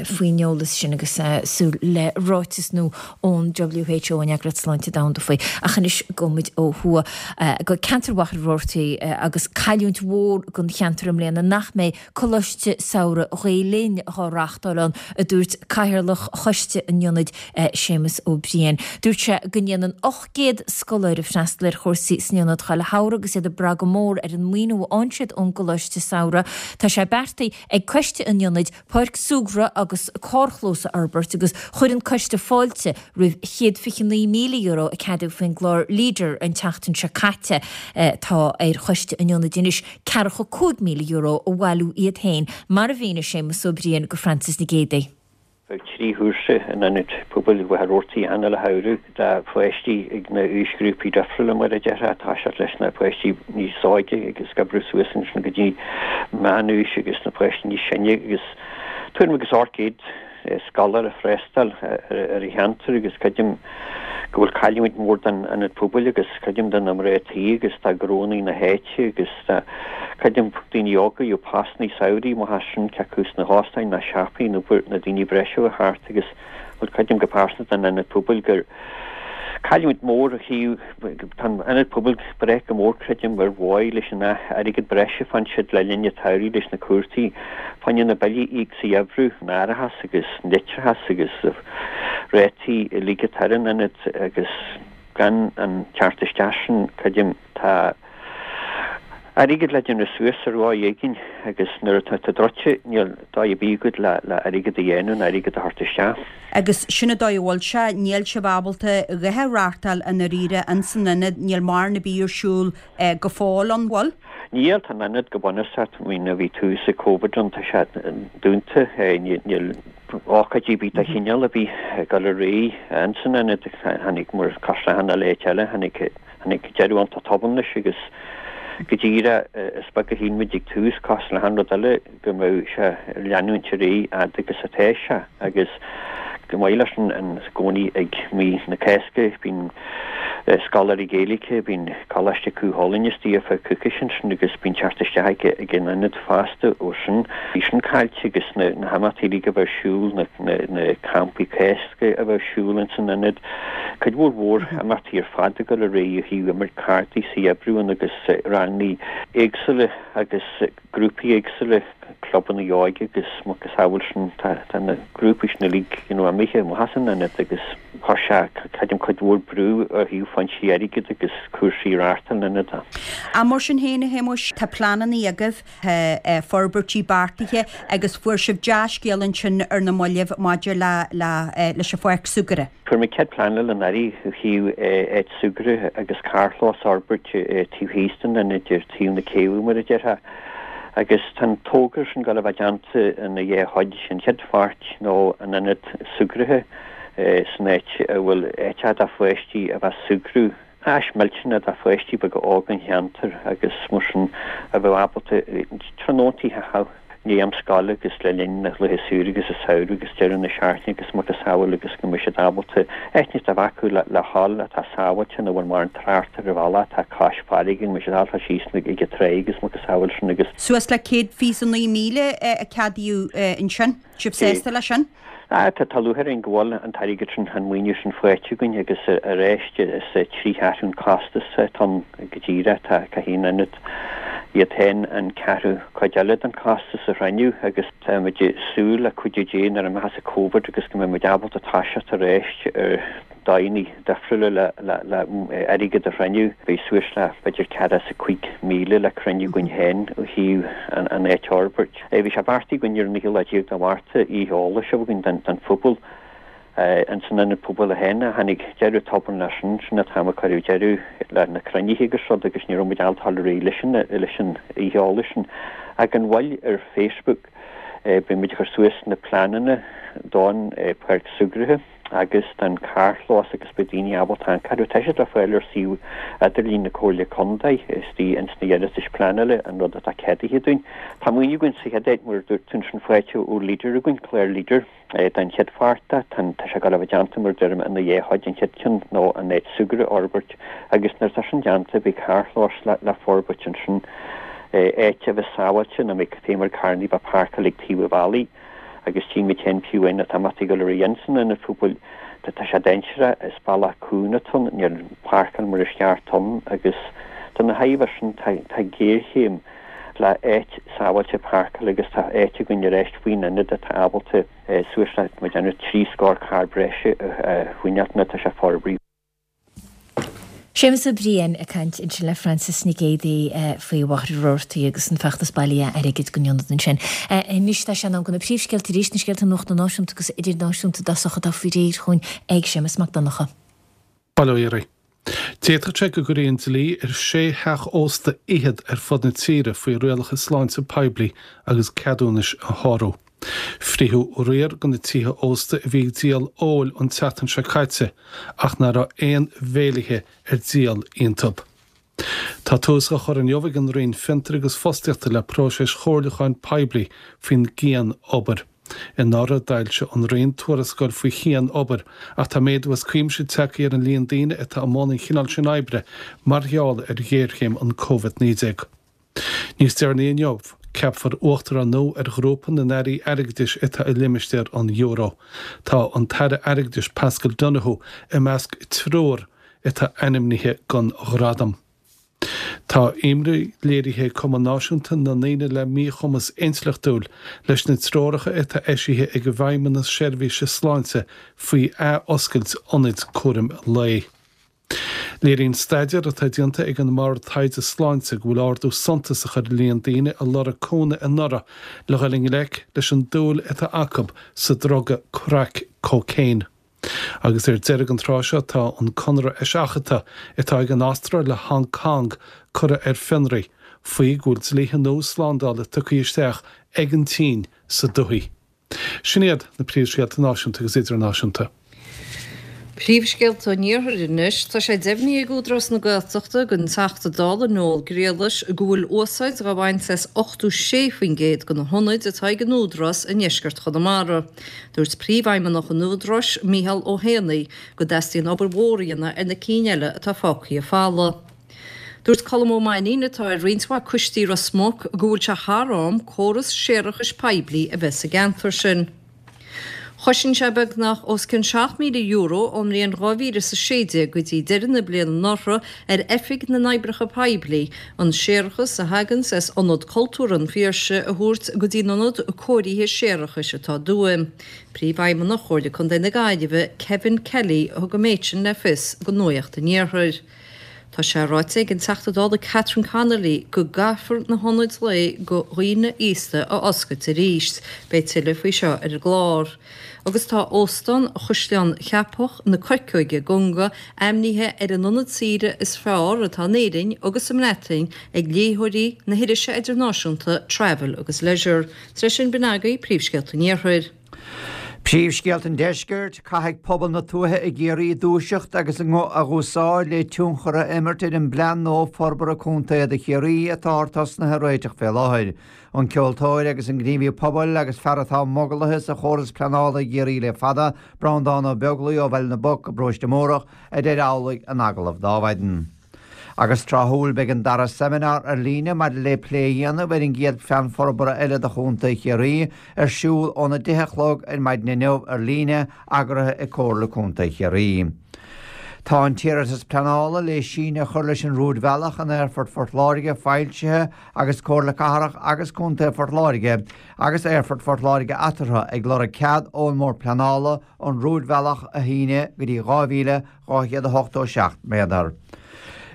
faoin eolas sin agus súil le ráiteas nua ón WHO, an Eagraíocht Sláinte Domhanda faoi. Ach anois gabhfaidh muid ó thuaidh go ceantar Mhachaire Rabhartaigh agus cailliúint mhór don cheantar i mbliana nach mbeidh Coláiste Samhraidh Ghael Linn á reáchtáil ann, a dúirt Cathaoirleach Choiste an Ionaid, Séamus Ó Briain. Dúirt sé go ndéanann ocht gcéad scoláire freastal ar chúrsaí san ionad chuile shamhradh agus iad ag brath go mór ar an maoiniú a fhaigheann siad ón gColáiste Samhraidh. Tá sé beartaithe ag Coiste an Ionaid páirc súgartha agus carrchlós a fhorbairt agus chuir an coiste fáilte roimh chéad fiche naoi míle euro a ceadaíodh faoin gclár Leader an tseachtain seo caite. Tá ar Choiste an Ionaid anois ceathracha cúig míle euro a bhailiú iad féin, mar a mhínigh Séamus Ó Briain go Frances Nic Géadaigh. Bheadh trí chúrsa in Ionad Pobail Mhachaire Rabhartaigh achan uile shamhradh do pháistí ag na aoisghrúpaí difriúla mar a déarfá, ag toiseacht leis na páistí níos óige agus ag oibriú suas ansin go dtí meánaois agus na páistí níos sine agus tuairim agus ocht gcéad scoláire ag freastal ar an cheantar agus creidim go bhfuil cailliúint mhór don Ionad Pobail agus creidim do na mná tí agus do ghnónnaí na háite agus do creidim daoine óga a bhí postannaí samhraidh amach as sin cé acu sna hóstáin nó siopaí nó na daoine breise a thart agus bhuel creidim go pearsanta don Ionad Pobail gur Cailliúint mór ó thaobh, tá an Ionad Pobail ag brath go mór creidim ar mhaith leis an airgead breise a fhaigheann siad le linn an tsamhraidh leis na cúrsaí fá choinne na billí a íoc sa gheimhreadh, an árachas agus an leictreachas agus rátaí uilig atá ar an ionad agus gan an teacht isteach sin creidim tá airgead le déanamh suas ar dhóigh éigin agus nuair atá tú druidte níl dóigh ar bith agat le le airgead a dhéanamh nó airgead a thabhairt isteach. Agus sin an dóigh a bhfuil sé, níl sibh ábalta a dhath a reáchtáil i ndáiríre ins an ionad, níl mórán ar bith ar siúl go fóill an bhfuil? Níl, tá an ionad go bunúsach, I mean ó bhí tús ag Covid ann tá sé dúnta, níl ócáidí ar bith de chineál ar bith ag dul ar aghaidh ins an ionad, tháinig mar cosúil le achan áit eile, tháinig tháinig deireadh iontach tobann leis agus go díreach is beag a shíl muid ag tús, cosúil le achan rud eile, go mbeadh sé ag leanúint ar aghaidh fhad agus atá sé agus go maith leis an i gcónaí ag mí na Cásca bíonn scoláirí Gaeilge, bíonn Coláiste Chú Chulainn istigh ar feadh coicíse ansin agus bíonn teacht isteach ag an ionad fosta ó sin. Bhí sin caillte agus na himeachtaí uilig a bheith ar siúl, na campaí Cásca a bheith ar siúl ins an ionad. Cuid mhór mhór imeachtaí ar fad ag dul ar aghaidh ó thaobh imirt cártaí sa gheimhreadh ann agus ranganna éagsúla agus grúpaí éagsúla, clubanna óige agus macasamhail sin. Tá na grúpaí sin uilig you know imithe amach as an ionad agus chuir sé creidim cuid mhór brú ó thaobh foinsí airgid agus cúrsaí reáchtáil an ionaid. Ach mar sin féin, a Shéamuis, tá pleananna agaibh, tá forbairtí beartaithe agus fuair sibh dea-scéal ansin ar na mallaibh maidir le leis an pháirc súgartha. Fuair muid cead pleanála anuraidh ó thaobh áit súgartha agus carrchlós a fhorbairt taobh thíos den ionad ar taobh na céibhe mar a déarfá agus tá an togra sin ag dul a bheith déanta ina dhá chuid, an chéad pháirt nó an ionad súgartha san áit a bhfuil áit do pháistí a bheith ag súgradh. Áis millteanach do pháistí beaga óga an cheantair agus mar sin a bheadh ábalta tráthnóntaí a chaitheamh i ndiaidh am scoile agus le linn na laetha saoire agus an samhradh agus deireadh na seachtaine agus macasamhail agus go mbeidh siad ábalta áit a bheith acu le le dhul atá sábháilte nach bhfuil mórán trácht ar an bhealach atá cois farraige go mbeidh siad ábalta síos ag an tráigh agus macasamhail sin agus Suas le céad fiche is a naoi míle a ceadaíodh ansin. Sibh sásta leis sin? Ah, tá tá lúcháir orainn go bhfuil an t-airgead sin, an maoiniú sin faighte againn agus arís is trí cheathrú an costas atá ann go díreach, tá caithfidh an ionad iad féin an ceathrú cuid eile den chostas a chruinniú agus tá muid ag súil le cuidiú Dé nuair a imeochas an Covid agus go mbeidh muid ábalta toiseacht arís ar dóigheanna difriúla le le le airgead a chruinniú. Beidh suas le b'fhéidir ceathracha is a cúig míle le cruinniú againn féin ó thaobh an an áit a fhorbairt. Bhí sé beartaithe againn ar an naoú lá déag de Mhárta oíche eolais a bheith againn don don phobal ins an Ionad Pobail féin ach tháinig deireadh tobann leis sin, sin an t-am a cuireadh deireadh le na cruinnithe agus rud agus ní raibh muid ábalta dul ar aghaidh leis an leis an oíche eolais sin. Ach gan mhoill ar Facebook beidh muid ag cur suas na pleananna don pháirc súgartha. agus don carrchlós agus beidh daoine ábalta amharc orthu. Tá siad le fáil ar suíomh idirlín na Comhairle Contae istigh ins na hiarratais pleanála, an rud atá ceadaithe dúinn. Tá maoiniú againn sa chéad áit, mar a dúirt tú ansin, faighte ó Leader againn, clár Leader, don chéad pháirt de. Tá tá sé ag dul a bheith déanta, mar a deirim, ina dhá chuid, an chéad cheann nó an áit súgartha a fhorbairt agus nuair atá sin déanta beidh carrchlós le le forbairt ansin, áit a bheas sábháilte, nach mbeidh fé mar carrannaí bheith páirceáilte ag taobh an bhealaigh. Agus tchí muid féin fiú amháin tá imeachtaí ag dul ar aghaidh ins an ionad pobail tá tá sé dainséarach, is bealach cúng atá ann, níl páirceáil mar is ceart ann agus do na tairbhe sin tá tá géarchéim le áit sábháilte páirceála agus tá áit againn arís faoin ionad atá ábalta suas le mo dhéanamh trí scór carr breise a choinneáilt nuair atá sé forbraithe. Séamus Ó Briain ag caint ansin le Frances Nic Géadaigh faoi Mhachaire Rabhartaigh agus an feachtas bailithe airgid don ionad ansin. Anois tá sé in am do na príomhscéalta arís, na scéalta nuachta náisiúnta agus idirnáisiúnta i dtosach atá faoi réir chugainn ag Séamus Mac Donncha. Bail ó Dhia oraibh. D'fhéadfadh sé go gcuirfí an dlí ar sé theach ósta fhichead ar fud na tíre faoi rialacha sláinte poiblí agus ceadúnais a shárú. Frítheadh riar de na tithe ósta a bhí ag díol óil an tseachtain seo caite ach nach raibh aon bhéilithe ar díol iontu. Tá tús á chur inniu ag an Roinn Fiontar agus Fostaíochta le próiseas chomhairliúcháin poiblí faoin gcian-obair. Anuraidh d'fhoilsigh an Roinn tuarascáil faoi chian-obair ach tá méadú as cuimse tagtha ar an líon daoine atá i mbun an chineáil sin oibre mar gheall ar ghéarchéim an Covid naoi déag. Níos deireanaí inniu, ceapfar uachtarán nua ar Ghrúpa na nAirí Airgeadais atá i limistéar an euro. Tá an tAire Airgeadais Paschal Donohoe i measc triúr atá ainmnithe don ghradam. Tá imní léirithe ag Cumann Náisiúnta na nDaoine le Míchumas Intleachtúil leis na treoracha atá eisithe ag an bhFeidhmeannas Seirbhíse Sláinte faoi athoscailt ionaid cúraim lae. Léiríonn staidéar atá déanta ag an mBord Taighde Sláinte go bhfuil ardú suntasach ar líon daoine a lorg cúnamh anuraidh le dhul i ngleic leis an dúil atá acu sa druga crack cocaine. Agus ar deireadh an tráth seo tá an conradh eiseachadta atá ag an Astráil le Hong Kong curtha ar fionraí faoi go bhfuil dlíthe nua slándála tugtha isteach ag an tSín sa dúthaigh. Sin iad na príomhscéalta náisiúnta agus idirnáisiúnta. Príomhscéalta an Iarthair anois, tá sé deimhnithe ag Údarás na Gaeltachta don Teachta Dála Noel Griallais go bhfuil úsáid á baint as ochtó sé faoin gcéad de na hionaid atá ag an Údarás i ndeisceart Chonamara. Dúirt Príomhfheidhmeannach an Údaráis, Mícheál Ó hÉanaí, go dteastaíonn obair mhór a dhéanamh ar na cinn eile atá fágtha folamh. Dúirt Colm Ó Mainnín, atá ar roinnt mhaith coistí Ros Muc, go bhfuil sé thar am córas séarachais poiblí a bheith sa gceantar sin. Chosain sé beagnach os cionn seacht míle euro ón mbliain dhá mhíle is a sé déag go dtí deireadh na bliana anuraidh ar Oifig na nOibreacha Poiblí an séarachas a thaganns as Ionad Cultúrtha an Phiarsaigh a thabhairt go dtí an ionad cóirithe séarachais atá i dTuaim. Príomhfheidhmeannach Chomhairle Contae na Gaillimhe, Kevin Kelly, a thug an méid sin le fios do Nuacht an Iarthair. Tá sé ráite ag an Teachta Dála Catherine Connolly go gcaithfear na hionaid lae do dhaoine aosta a oscailt arís. Beidh tuilleadh faoi seo ar an gclár. Agus tá Óstán Chaisleán Cheapach na Coirceoige i gConga ainmnithe ar an ionad saoire is fearr atá in Éirinn agus sa mBreatain ag léitheoirí na hirise idirnáisiúnta Travel agus Leisure. Tar éis sin, b'in agaibh príomhscéalta an Iarthair. Príomhscéalta an Deiscirt, Caithfidh pobal na tuaithe i gCiarraí dúiseacht agus a nguth a dh'úsáid le tionchar a imirt ar an bplean nua forbartha contae do Chiarraí atáthar tosnaithe a réiteach fé láthair. An ceoltóir agus an gníomhaí pobail agus fear atá mogalaithe sa chóras pleanála i gCiarraí le fada, Breandán Ó Beaglaoi ó Bhaile na bPoc i bParóiste Mórdhach, a deir amhlaidh in agallamh d'Adhmhaidin. Agus tráthúil beidh an dara seimineár ar líne maidir le plé a dhéanamh ar an gcéad phlean forbartha eile do Chontae Chiarraí ar siúl óna deich a chlog ar maidin inniu ar líne, eagraithe ag Comhairle Contae Chiarraí. Tá an t-iarratas pleanála le síneadh a chur leis an rúidbhealach in Aerfort Phort Láirge foilsithe agus Comhairle Cathrach agus Contae Phort Láirge agus Aerfort Phort Láirge eatarthu ag lorg cead ón mBord Pleanála an rúidbhealach a shíneadh go dtí dhá mhíle dhá chéad a hochtó seacht méadar.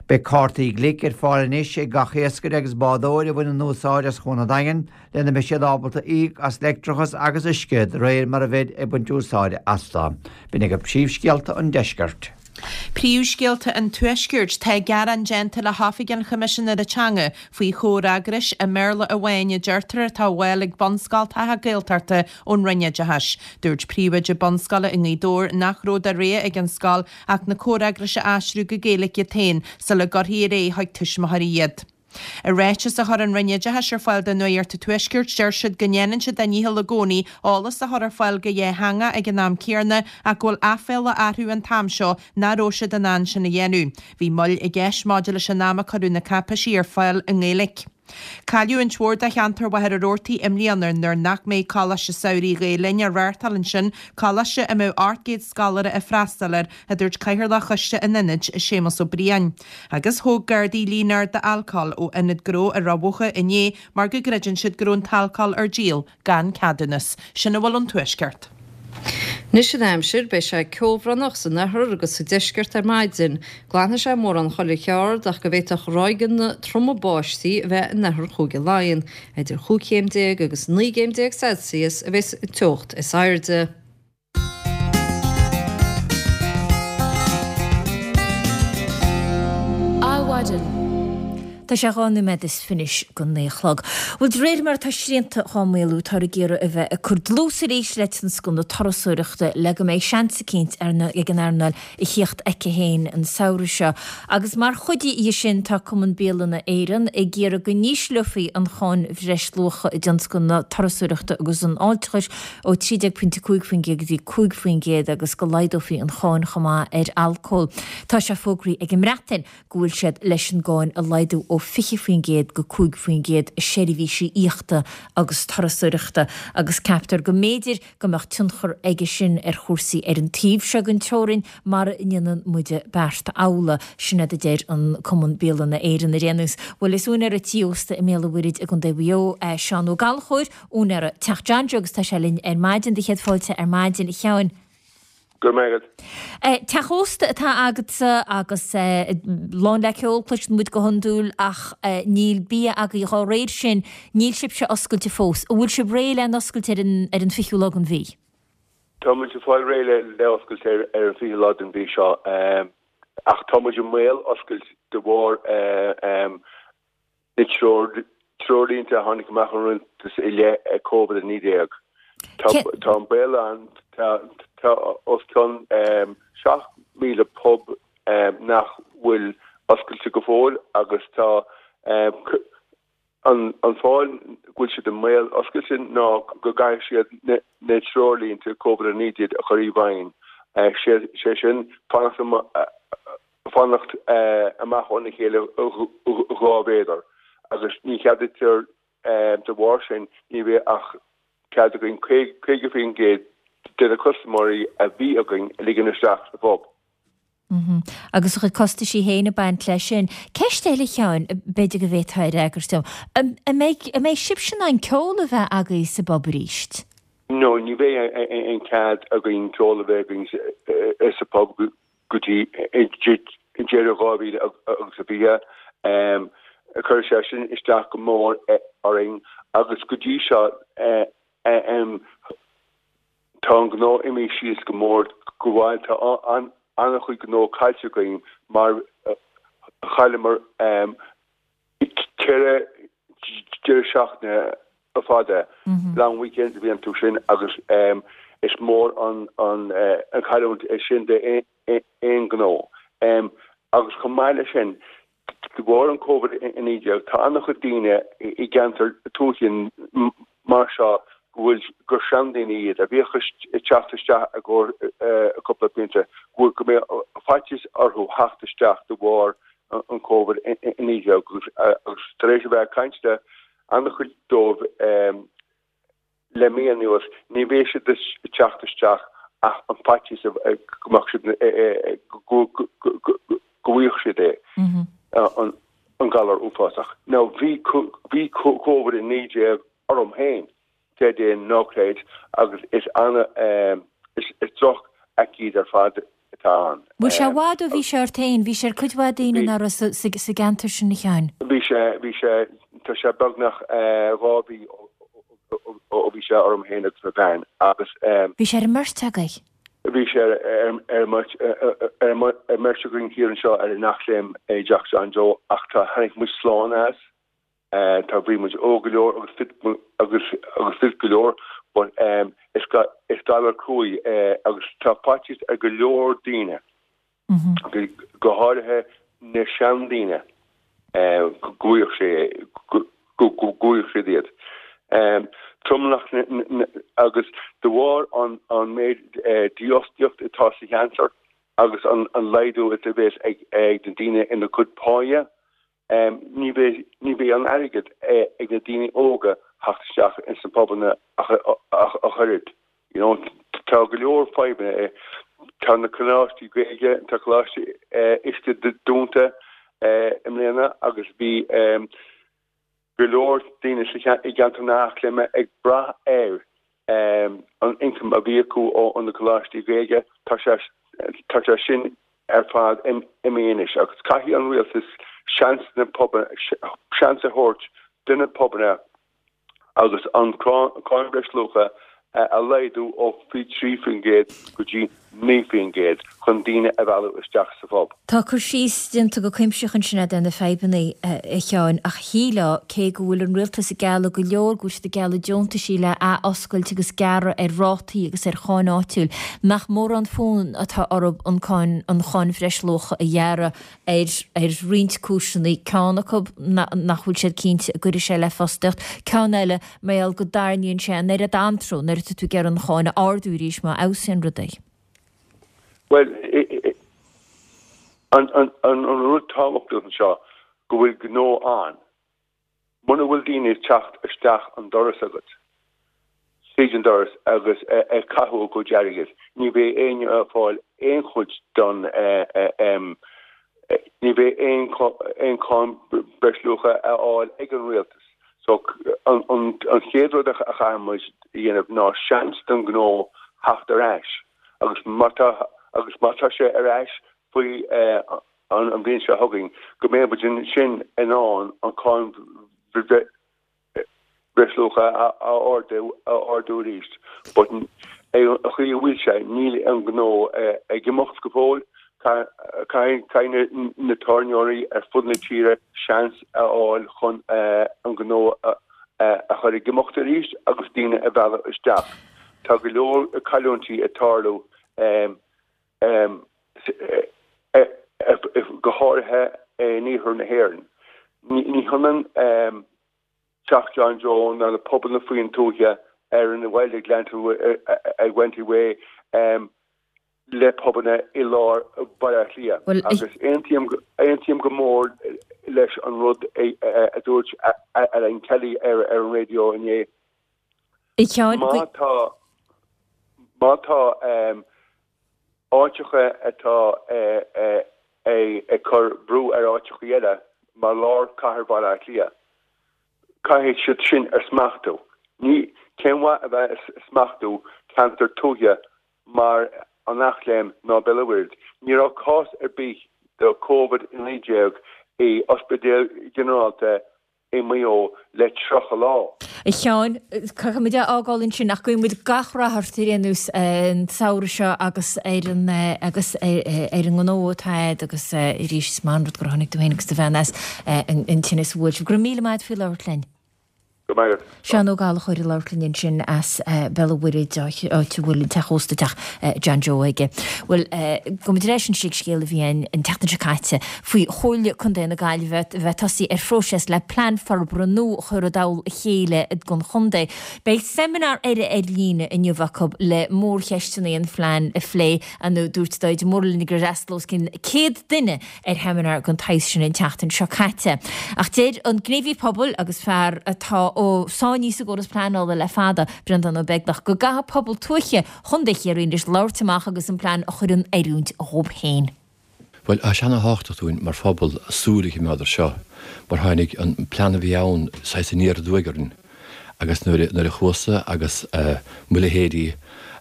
Beidh cártaí Glik ar fáil anois ag gach iascaire agus bádóir a bhaineann úsáid as Cuan an Daingin lena mbeidh siad ábalta íoc as leictreachas agus uisce de réir mar a bheid ag baint úsáide astu. B'in agaibh príomhscéalta an deiscirt. Príomhscéalta an Tuaiscirt, Tá gearán déanta le hOifig an Choimisinéara Teanga faoi chomhfhreagrais i mBéarla amháin a deirtear atá á bhfáil ag bunscoltacha Gaeltachta ón Roinn Oideachais. Dúirt príomhoide bunscoile i nGaoth Dobhair nach raibh de rogha ag an scoil ach na comhfhreagrais a aistriú go Gaeilge iad féin sula gcuirfí ar aghaidh chuig tuismitheoirí iad. I ráiteas a chuir an Roinn Oideachais ar fáil do Nuacht an Tuaiscirt, deir siad go ndéanann siad a ndícheall i gcónaí eolas a chur ar fáil go dhátheangach ag an am céanna ach go bhfuil aiféala orthu an t-am seo nach raibh siad in ann sin a dhéanamh. Bhí moill i gceist maidir leis an am a cuireadh na cáipéisí ar fáil i nGaeilge. Cailliúint mhór do cheantar Mhachaire Rabhartaigh i mbliana nuair nach mbeidh Coláiste Samhraidh Ghael Linn á reáchtáil ansin, coláiste a mbeadh ocht gcéad scoláire ag freastal air, a dúirt Cathaoirleach Choiste an Ionaid, Séamus Ó Briain. Agus thóg Gardaí líon ard d'alcól ó ionad gnó i Ráth Bhoth inné mar go gcreideann siad go raibh an t-alcól ar díol gan ceadúnas. Sin a bhfuil ón Tuaisceart. Anois an aimsir, beidh sé ceobhránach san oirthear agus sa deisceart ar maidin. Glanfaidh sé mórán chuile cheard ach go bhféadfadh ráigeanna troma báistí a bheith in oirthear Chúige Laighean. Idir chúig chéim déag agus naoi gcéim déag Celsius a bheas an teocht is airde. Adhmhaidin. Tá sé dhá nóiméad is fiche go naoi a chlog. Bhuel, de réir mar atá srianta dhá maolú, táthar ag iarraidh a bheith ag cur dlús arís le tionscal na turasóireachta le go mbeidh seans eicínt ag an earnáil a thíocht aici féin an samhradh seo. Agus mar chuid dhe sin, tá Cumann Bialanna Éireann ag iarraidh go n-ísleofaí an cháin bhreisluacha i dtionscal na turasóireachta agus an fháilteachais ó trí déag pointe cúig faoin gcéad go dtí cúig faoin gcéad agus go laghdófaí an cháin chomh maith ar alcól. Tá sé fógraithe ag an mBreatain go bhfuil siad leis an gcáin a laghdú ó ó fiche faoin gcéad go cúig faoin gcéad i seirbhísí aíochta agus turasóireachta agus ceaptar go mb'fhéidir go mbeadh tionchar aige sin ar chúrsaí ar an taobh seo den teorainn mara ndéanann muide beart amhlaidh, sin iad a deir an Cumann Bialanna Éireann ar aon nós. Bhuel is úinéara tí ósta i mBéal an Mhuirthid i gContae Mhaigh Eo é Seán Ó Gallchóir, úinéara Teach John Joe agus tá sé linn ar maidin, do chéad fáilte ar maidin a Sheáin. Go raibh maith agat. Teach ósta atá agatsa agus lán le ceol, cloiseann muid go hiondúil, ach níl bia agaibh dhá réir sin, níl sibhse oscailte fós. An bhfuil sibh réidh le n-oscailt ar an ar an fichiú lá den mhí? Tá muid ag fáil réidh le le oscailt ar ar an fichiú lá den mhí seo ach tá muid i mbaol oscailt de bharr na treoirlínte a tháinig amach ón Rialtas i leith Covid a naoi déag. Tá an baol ann, tá os cionn seacht míle pub nach bhfuil oscailte go fóill agus tá an fáth go bhfuil siad i mbaol oscailte ná go gcaithfidh siad na treoirlínte Covid a naoi déag a chur i bhfeidhm, sé sin fanacht fanacht amach óna chéile dhá mhéadar agus ní cheadaítear de bharr sin ní bheidh ach cead againn caoga faoin gcéad de na custaiméirí a bhí againn a ligean isteach sa phub. Agus a chuid costaisí féin ag baint leis sin. Ceist eile, a Sheáin, b'fhéidir go bhféadfá a fhreagairt dom. An mbeidh, an mbeidh sibhse in ann ceol a bheith agaibh sa bpub arís? No, ní bheidh aon cead againn ceol a bheith againn sa phub go dtí deireadh dhá mhíle agus a fiche. Chuir sé sin isteach go mór orainn agus go dtí seo tá an gnó imithe síos go mór go bhfuil tá an-chuid gnó caillte againn mar chailleamar ceithre deireadh seachtaine fada, long weekends a bhí iontu sin agus is mór an chailliúint é sin d'aon ghnó. Agus chomh maith leis sin, de bharr an Covid a naoi déag, tá an-chuid daoine i gceantair tuaithe mar seo go bhfuil, gur seandaoine iad, a bhíodh ag teacht isteach i gcomhair cúpla pionta, go bhfuil, go mbeidh faitíos orthu theacht isteach de bharr an Covid a naoi déag agus tar éis a bheith ag caint le an-chuid dóibh le mí anuas, ní bheidh siad ag teacht isteach ach an faitíos go mbeadh siad, go bhfaigheadh siad é, an galar uafásach. Now bhí, bhí Covid a naoi déag orm féin, creid é nó ná creid, agus is ana, is droch-aicíd ar fad atá ann. Bhfuil sé i bhfad ó bhí sé ort féin? Bhí sé ar cuid mhaith daoine nach raibh sa gceantar sin, a Sheáin. Bhí sé, bhí sé, tá sé beagnach dhá mhí ó bhí sé orm féin agus mo bhean agus. Bhí sé ar an mbeirt agaibh? Bhí sé ar an mbeirt againn thiar anseo ar an Eachléim i dTeach John Joe ach tá, tháinig muid slán as. Tá bhí muid óg go leor agus fit agus agus fit go leor but is is galar cruaidh é agus tá faitíos ar go leor daoine, go háirithe na seandaoine go bhfaigheadh sé go go bhfaigheadh siad iad. Tromlach na agus de bharr an an méid dífhostaíocht atá sa cheantar agus an an laghdú a bheas ag ag na daoine ina gcuid páighe, Ní bheidh, ní bheidh an airgead ag na daoine óga theacht isteach ins na pubanna ach ach oiread. You know, tá go leor fadhbanna. Tá na coláistí Gaeilge, tá Coláiste Uisce dúnta i mbliana agus bhí go leor daoine sa i gceantar na hEachléime ag brath ar an income a bhí acu ó na coláistí Gaeilge. Tá sé, tá sé sin ar fad imithe anois agus caithfidh an rialtas seans na seans a thabhairt do na pubanna agus an cáin bhreisluacha a laghdú ó fiche trí faoin gcéad go dtí naoi faoin gcéad chun daoine a mhealladh isteach sa phub. Tá cur síos déanta go cuimsitheach ansin agat ar na fadhbanna, a Sheáin, ach shílfeá, cé go bhfuil an rialtas ag gealladh go leor, go bhfuil siad ag gealladh deontaisí le ath-oscailt agus gearradh ar rátaí agus ar cháin áitiúil, nach mórán fonn atá orthu an cáin, an cháin bhreisluacha a ghearradh ar, ar roinnt cúiseanna, ceann acu nach bhfuil siad cinnte an gcuirfidh sé le fostaíocht, ceann eile mar gheall go dtarraingíonn sé an oiread antró nuair atá tú ag iarraidh an cháin a ardú arís má fheabhsaíonn rudaí. Bhuel, an rud tábhachtach anseo, go bhfuil gnó ann. Muna bhfuil daoine ag teacht isteach an doras agat, tríd an doras agus ag caitheamh a gcuid airgid, ní bheidh éinne ag fáil aon chuid don ní bheidh aon cháin breisluacha a fháil ag an rialtas. So an chéad rud a chaithfidh muid a dhéanamh ná seans don ghnó theacht ar ais agus má tá agus má tá sé ar ais faoi an bhliain seo chugainn go mbeidh muid ansin in ann an cháin breisluacha a ardú a ardú arís. But an chaoi a bhfuil sé, níl an gnó ag imeacht go fóill. Caithfidh na tábhairneoirí ar fud na tíre seans a fháil chun an gnó a chur ag imeacht arís agus daoine a mhealladh isteach. Tá go leor cailliúintí ag tarlú go háirithe in iarthar na hÉireann. Ní hionann Teach John Joe ná na pubanna faoin tuaithe ar an bhaile Glenties Way le pubanna i lár Bhaile Átha Cliath. Agus aontaím aontaím go mór leis an rud a dúirt Alan Kelly ar ar an raidió inné. Má tá má tá áiteacha atá ag cur brú ar áiteacha eile mar lár cathair Bhaile Átha Cliath, caithfidh siad sin a smachtú. Ní cén mhaith a bheith ag smachtú ceantar tuaithe mar an Eachléim ná Béal an Mhuirthead. Ní raibh cás ar bith de Covid a naoi déag i ospidéal ginearálta i Maigh Eo le tríocha lá. A Sheáin, caithfidh muid a fhágáil ansin ach guíonn muid gach rath ort ar aon nós an samhradh seo agus ar an agus ar an ngnó atá agat agus arís is maith an rud gur tháinig tú féin agus do bhean as an tinneas a bhuail sibh. Go raibh míle maith agat faoi labhairt linn. Go raibh maith agat. Seán Ó Gallchóir ag labhairt linn ansin as Béal an Mhuirthead, áit a bhfuil an teach ósta Teach John Joe aige. Bhuel, gabhfaidh muid ar ais anois ag scéal a bhí ann an tseachtain seo caite faoi Chomhairle Contae na Gaillimhe a bheith tosaithe ar phróiseas le plean forbartha nua a chur i dtoll a chéile don chontae. Beidh seimineár eile ar líne inniu acu le mórcheisteanna an phlean a phlé. Dúirt Daid Murlin gur fhreastail os cionn céad duine ar sheimineár den tsaghas sin an tseachtain seo caite. Ach deir an gníomhaí pobail agus fear atá sáinnithe sa gcóras pleanála le fada, Breandán Ó Beaglaoich, go gcaithfidh pobal tuaithe Chontae Chiarraí anois labhairt amach agus an plean a chur in oiriúint dhóibh féin. Bhuel, tá sé ana-thábhachtach dúinn mar phobal súil a choimeád air seo, mar tháinig an plean a bhí ann saghas aniar aduaidh orainn agus nuair a chuas-sa agus mo leithéidí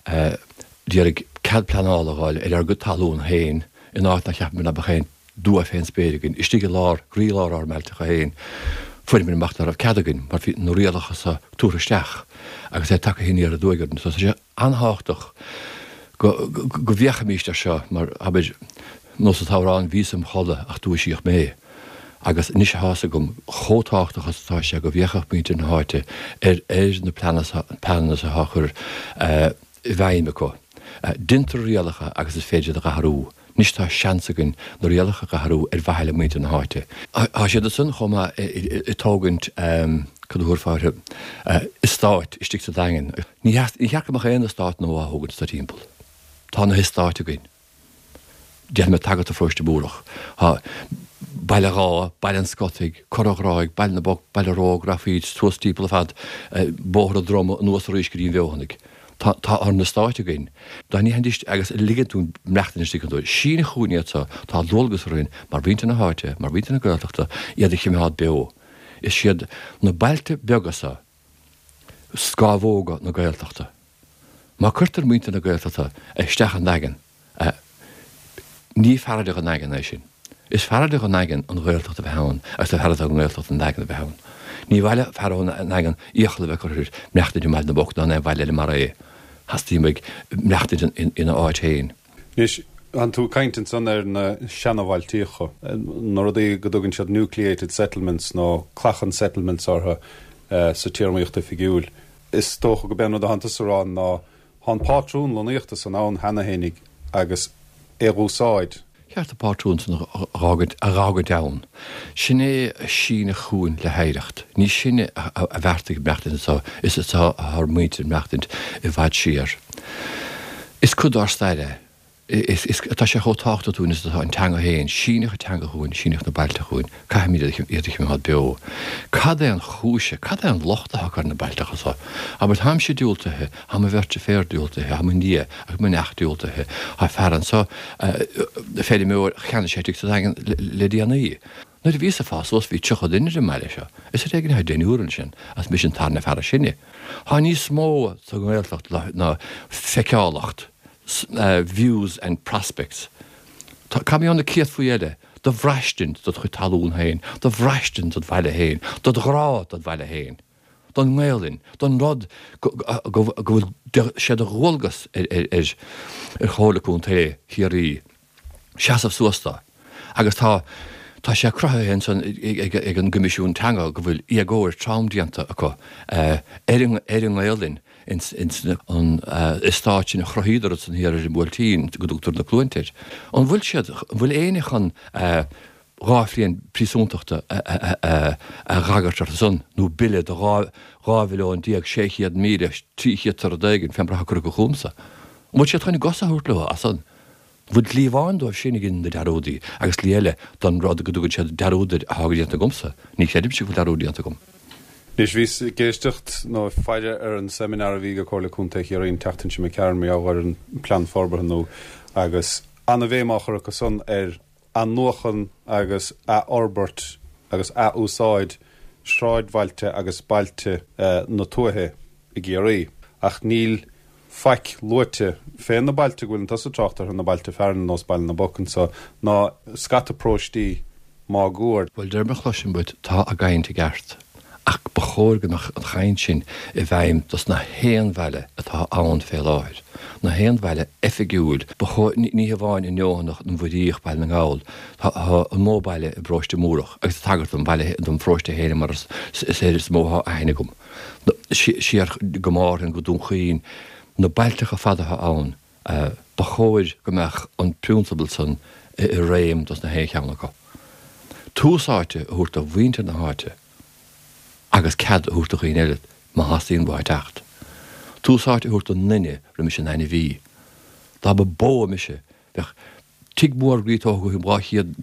d'iarraidh cead pleanála a fháil ar ár gcuid talún féin in áit nár cheap muid ná beadh aon dua fén spéir againn, istigh i lár, gcroílár ár mbailteacha féin. Fuair muid amach ná raibh cead againn mar bhí na rialacha so tabhartha isteach agus é tagtha aniar aduaidh orainn. So tá sé an-thábhachtach go go bhféachfaimíst air seo mar, abair, nós an t-amhrán bhíos im chodladh ach dúisíodh mé. Agus anois atá's agam chomh tábhachtach is atá sé go bhféachfadh muintir na háite ar ar na pleananna so atá á chur i bhfeidhm acu. Deintear rialacha agus is féidir iad a dh'athrú. Anois tá seans againn na rialacha a dh'athrú ar mhaithe le muintir na háite. Tá siad ansan chomh maith ag tógaint, cad a thabharfá orthu, eastáit istigh sa Daingean. Ní cheart go mbeadh aon eastát nua á thógaint anso timpeall. Tá na heastáit againn. Déanfaidh mé tagairt do Pharóiste Múrach. Tá Baile Dháith, Baile an Scotaigh, Cora Ghráig, Baile na bPoc, Baile Róg, rachfaí suas timpeall ar fad Bóthar an Droma anuas arís go dtí an Bhfeothanaigh. Tá tá ár n-eastáit againn. Dá ndéanfaidís agus ligean dúinn maireachtaint istigh iontu. Síneadh chugainn iad so, tá dualgas orainn mar mhuintir na háite, mar mhuintir na Gaeltachta, iad a chimeád beo. Is iad na bailte beaga so scámhóga na Gaeltachta. Má cuirtear muintir na Gaeltachta isteach i nDaingean, ní fearrde dhon nDaingean é sin. Is fearrde dhon nDaingean an Ghaeltacht a bheith ann agus is fearrde don nGaeltacht an Daingean a bheith ann. Ní mhaith le fear ón nDaingean iachall a bheith curtha air maireachtaint i mBaile na bPoc ná in aon bhaile eile mar é. Theastaigh uaidh maireachtaint ina áit féin. Anois, tánn tú ag caint ansan ar na seanabhailtíocha, na rudaí go dtugann siad nucleated settlements nó clachan settlements orthu sa téarmaíocht oifigiúil. Is dócha go b'é an rud atánn tusa a rá ná thá an pátrún lonnaíochta san ann cheana fhéinig agus é dh'úsáid. Ceart an pátrún san a dh'fhágaint ann. Sin é a síneadh chugainn le hoidhreacht. Ní sinne a bheartaigh maireachtaint anso, is anso atá ár muintir ag maireachtaint i bhfad siar. Is cuid dár stair é. Is, is, tá sé chomh tábhachtach dúinn is atá an teanga féin, síneadh an teanga chugainn, síneadh na bailte chugainn, caithfimid iad a choimeád beo. Cad é an chúis, cad é an locht atá acu ar na bailteacha so? Abair, táimse diúltaithe, tá mo bheirt deirféar diúltaithe, tá mo nia agus mo neacht diúltaithe, tá fear anso, feirmeoir, cheannaigh sé tigh sa Daingean le déanaí. Nuair a bhíos ag fás suas bhí tríocha duine ar an mbaile seo, is ar éigean atá deichniúr ansin, agus mise an tarna fear is sine. Tá níos mó sa nGaeltacht ná feiceálacht. views and prospects. Tá, cá mbeadh na céadfaí eile do bhraistint dod chuid talún féin, do bhraistint dod bhaile féin, dod ghrá dod bhaile féin, don nGaelainn, don rud go bhfuil sé de dhualgas ar Chomhairle Contae Chiarraí seasamh suas dó. Agus tá tá sé cruthaithe ansan ag an gCoimisiún Teanga go bhfuil éagóir trom déanta acu ar an nGaelainn. ins an eastát sin a chruthaíodar ansan thiar ar an mBuailtín go dtugtar na Cluainte air. An bhfuil siad, an bhfuil éinne chun dhá bhliain príosúntachta a dh'agairt orthu san, nó bille de dhá mhilliún déag sé chéad míle trí chéad is rud éigin fé mar atá curtha chugamsa? An bhfuil siad chun a gcosa a thabhairt leo as san? Bhfuil dlí amháin dóibh sin ag déanamh na dearúdaí agus dlí eile don rud go dtugann siad dearúd air atá déanta agamsa? Ní chreidimse go bhfuil dearúd déanta agam. Anois, bhíos ag éisteacht nó ag faire ar an seimineár a bhí ag Comhairle Contae Chiarraí an tseachtain seo imigh tharainn mar gheall ar an bPlean Forbartha nua agus ana-bhéim á chur acu san ar athnuachan agus athfhorbairt agus ath-úsáid sráidbhailte agus bailte na tuaithe i gCiarraí. Ach níl faic luaite fé na bailte go bhfuileann tusa ag trácht orthu, na bailte fearainn ar nós Baile na bPoc anso, ná scata paróistí máguaird. Bhuel, de réir mar a chloisim uait, tá a gcaint i gceart, ach ba chóir go mbeadh an chaint sin i bhfeidhm dos na haon bhaile atá ann fé láthair, na haon bhaile oifigiúil. Ba chóir, ní hamháin an Neothanach, an Mhuiríoch, Baile na nGall, tá an mó baile i bparóiste Múrach, agus ag tagairt dom bhaile, dom pharóiste féin mar is air is mó atá aithne agam, siar go Márthain, go Dún Chaoin, na bailteacha fada atá ann. Ba chóir go mbeadh an prionsabal san i réim dos na haon cheann acu. Tús áite a thabhairt do mhuintir na háite agus cead a thabhairt do dhaoine eile má theastaíonn uathu teacht. Tús áite a thabhairt don nduine roimis an ainmhí. Dá ba bó mise bheadh tigh mór groí tógtha agam dhá chéad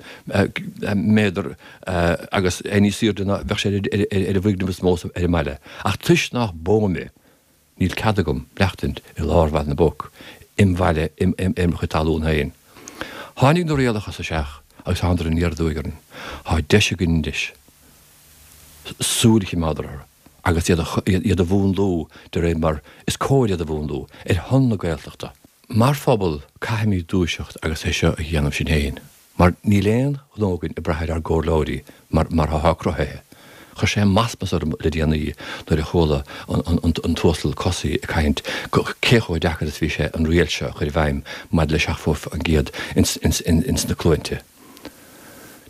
méadar agus é níos aoirde ná bheadh sé ar an bhfoirgneamh is mó ar an mbaile. Ach toisc nach bó mé, Níl cead agam maireachtaint i lár Bhaile na bPoc, im bhaile, im chuid talún féin. Tháinig na rialacha so isteach agus thánadar aniar aduaidh orainn. Tá deis againn anois súil a choimeád orthu agus iad a mhúnlú de réir mar is cóir iad a mhúnlú, ar shon na Gaeltachta. Mar phobal, caithfimid dúiseacht agus é seo a dhéanamh sinn féin. Mar níl aon ghnó againn ag brath ar ár gcomhairleoirí mar mar atá cruthaithe. Chuir sé masmas orm le déanaí nuair a chuala an tUasal Cosaí ag caint cé chomh deacair is bhí sé an riail seo a chur i bhfeidhm maidir le seachtó faoin gcéad ins na cluainte.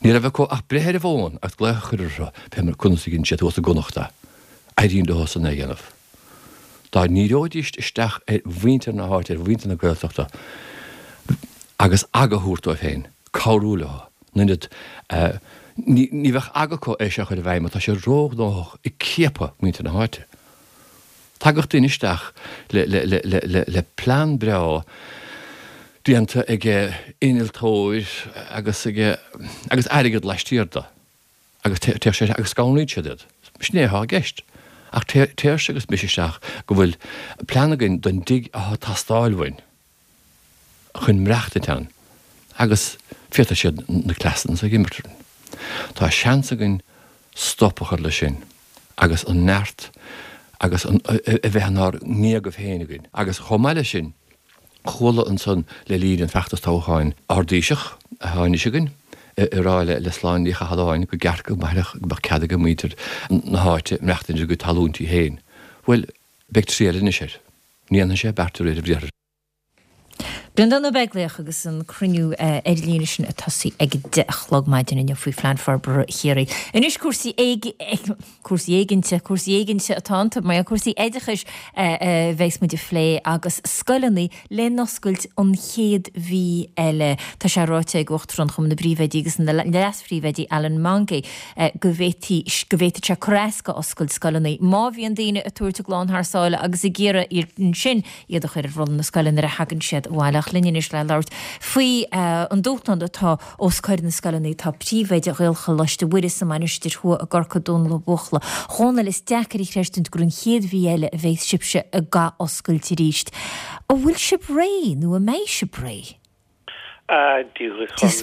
Ní raibh acu ach breith ar an bhfón agus glaoch a chur orthu fé mar conas a dhein siad thuas i gConnachta. Éiríonn leo san é a dhéanamh. Dá ndíreoidís isteach ar mhuintir na háite, ar mhuintir na Gaeltachta agus aga a thabhairt dóibh féin, cabhrú leo, in ionad, ní bheadh aga acu é seo a chur i bhfeidhm mar tá sé róghnóthach ag ciapadh muintir na háite. Tagadh duine isteach le plean breá déanta ag innealtóir agus agus airgead laistiar de agus téadh sé agus scanraíonn siad iad. Sin é atá i gceist. Ach téirse agus mise isteach go bhfuil plean againn don dtigh atá ag teastáil uainn. chun maireachtaint ann agus féadfaidh siad na cleasanna so a imirt orainn. Tá seans againn stop a chur leis sin agus an neart agus an a bheith inár ngéagaibh féin againn. Agus chomh maith leis sin, chuala ansan le linn an feachtas toghcháin ár dTaoiseach, atá anois againn, ag rá le Sláine Ní Chathalláin go gceart go mbeadh go mbeadh cead ag muintir na háite maireachtaint ar a gcuid talúintí féin. Bhuel, beidh triail anois air. Ní dhéanfaidh sé beart de réir a bhriathair. Breandán Ó Beaglaoich agus an cruinniú ar líne sin ag tosaí ag a deich a chlog maidin inniu faoi Phlean Forbartha Chiarraí. Anois cúrsaí cúrsaí éiginnte, cúrsaí éiginnte atá iontu, mar cúrsaí oideachais a bheas muid a phlé agus scoileanna le n-oscailt an chéad mhí eile. Tá sé ráite ag Uachtarán Chumann na bPríomhoidí agus na Leas-Phríomhoidí Alan Mongey go bhféadfaí go bhféadfadh sé cur as do oscailt scoileanna má bhíonn daoine ag tabhairt a gclann thar sáile agus ag iarraidh ansin iad a chur ar rolla na scoile nuair a thagann siad abhaile. isteach linn anois le labhairt faoi an dúshlán atá os comhair na scoileanna. Tá príomhoide Ghaelcholáiste Mhuire sa Mainistir Thuaidh i gCorcaigh, Dónal Ó Buachalla. A Dhónaill, is deacair a chreistiúint gur an chéad mhí eile a bheas sibhse ag athoscailt arís. An bhfuil sibh réidh nó an mbeidh sibh réidh? Dia dhuit, Is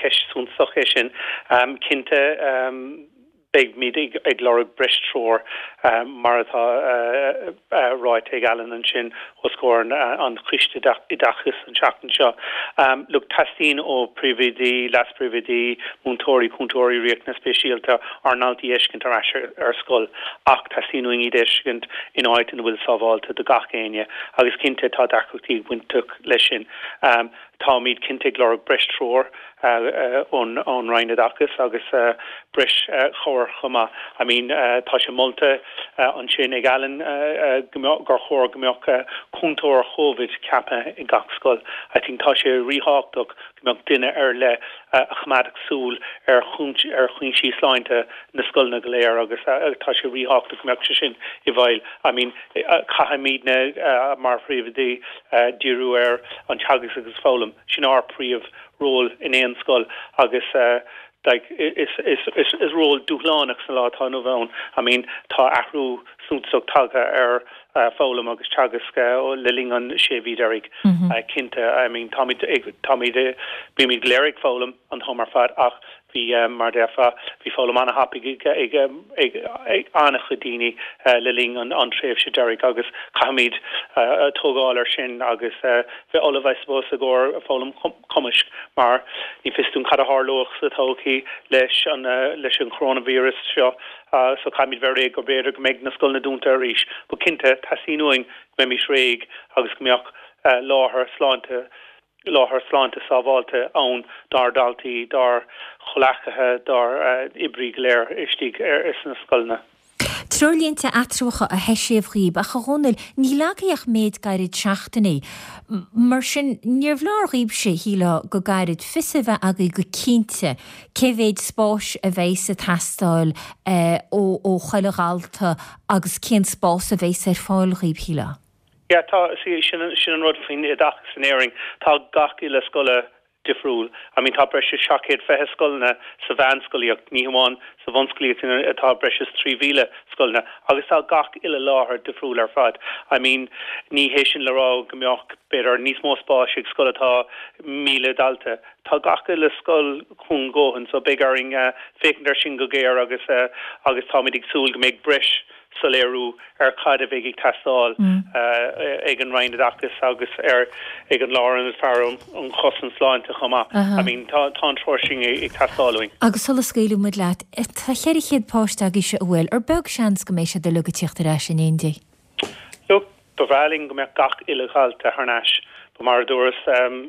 ceist suntasach é sin. Cinnte, beimid ag lorg breis treoir mar atá ráite ag Alan ansin os comhair an Choiste Oideachais an tseachtain seo. Look, teastaíonn ó phríomhoidí, leas-phríomhoidí, múinteoirí, cúntóirí riachtanas speisialta ár ndaltaí a fheiscint ar ais ar scoil ach teastaíonn uainn iad a fheiscint in áit ina bhfuil sábháilte do gach éinne agus cinnte tá deacrachtaí ag baint leis sin. Táimid cinnte ag lorg breis treoir ón Roinn Oideachais agus breis chabhair chomh maith. I mean, tá sé molta ansin ag Alan gur chóir go mbeadh cúntóir Covid ceaptha i gach scoil. I think tá sé ríthábhachtach go mbeadh duine ar leith a choimeádfadh súil ar ar chúinsí sláinte na scoileanna go léir agus tá sé ríthábhachtach go mbeadh sé sin i bhfeighil. I mean, caithfimidne mar phríomhoidí díriú ar an teagasc agus foghlaim. Sin ár príomh ról in aon scoil agus like is is is is ról dúshlánach sa lá atá inniu ann. I mean tá athrú suntasach tagtha ar foghlaim agus teagasc le linn an sé mhí deiridh. Cinnte, I mean táimid ag táimid bímid go léir ag foghlaim an t-am ar fad ach bhí mar déarfá bhí foghlaim an-thapaidh ag ag ag an-chuid daoine le linn an an tréimhse deiridh agus caithfimid tógáil ar sin agus bheith ullamh I suppose i gcomhair foghlaim cumaisc mar ní fios dúinn cad a tharlódh sa todhchaí leis an leis an coronavirus seo so caithfimid bheith réidh go b'fhéidir go mbeidh na scoileanna dúnta arís. But cinnte teastaíonn uainn go mbeimis réidh agus go mbeadh láthair sláinte láthair sláinte sábháilte ann dár ndaltaí, dár gcomhghleacaithe, dár oibrí go léir istigh sna scoileanna. Treoirlínte eatramhacha a heisíodh dhaoib, ach a Dhónaill, níl agaibh ach méid gairid seachtainí. Mar sin, níorbh leor dhaoibhse, shílfeá, go gairid, fios a bheith agaibh go cinnte cé mhéid spáis a bheas ag teastáil ó ó chuile dhalta agus cén spás a bheas ar fáil dhaoib, shílfeá. Yeah, tá, see, sin sin an rud faoin oideachas in Éirinn, tá gach uile scoil difriúil. I mean, tá breis is seacht gcéad fiche scoileanna sa mheánscolaíocht, ní hamháin sa bhunscolaíocht atá breis is trí mhíle scoileanna, agus tá gach uile láthair difriúil ar fad. I mean, ní hé sin le rá go mbeadh, b'fhéidir, níos mó spáis ag scoil atá míle dalta. Tá gach uile scoil cúng a dhóthain, so beidh orainn féachaint air sin go géar agus agus táimid ag súil go mbeidh breis soiléiriú ar cad a bheidh ag teastáil ag an Roinn Oideachais agus ar ag an Lárionad Faire um Chosaint Sláinte chomh maith. I mean tá tá an treoir sin ag teastáil uainn. Agus sula scaoilfidh muid leat, tá ceithre chéad páiste agaibhse an bhfuil, ar beag seans go mbeidh siad uilig ag tíocht ar ais in éindí? Look, Ba bhreá linn go mbeadh gach uile dhalta thar n-ais. But mar a dúras,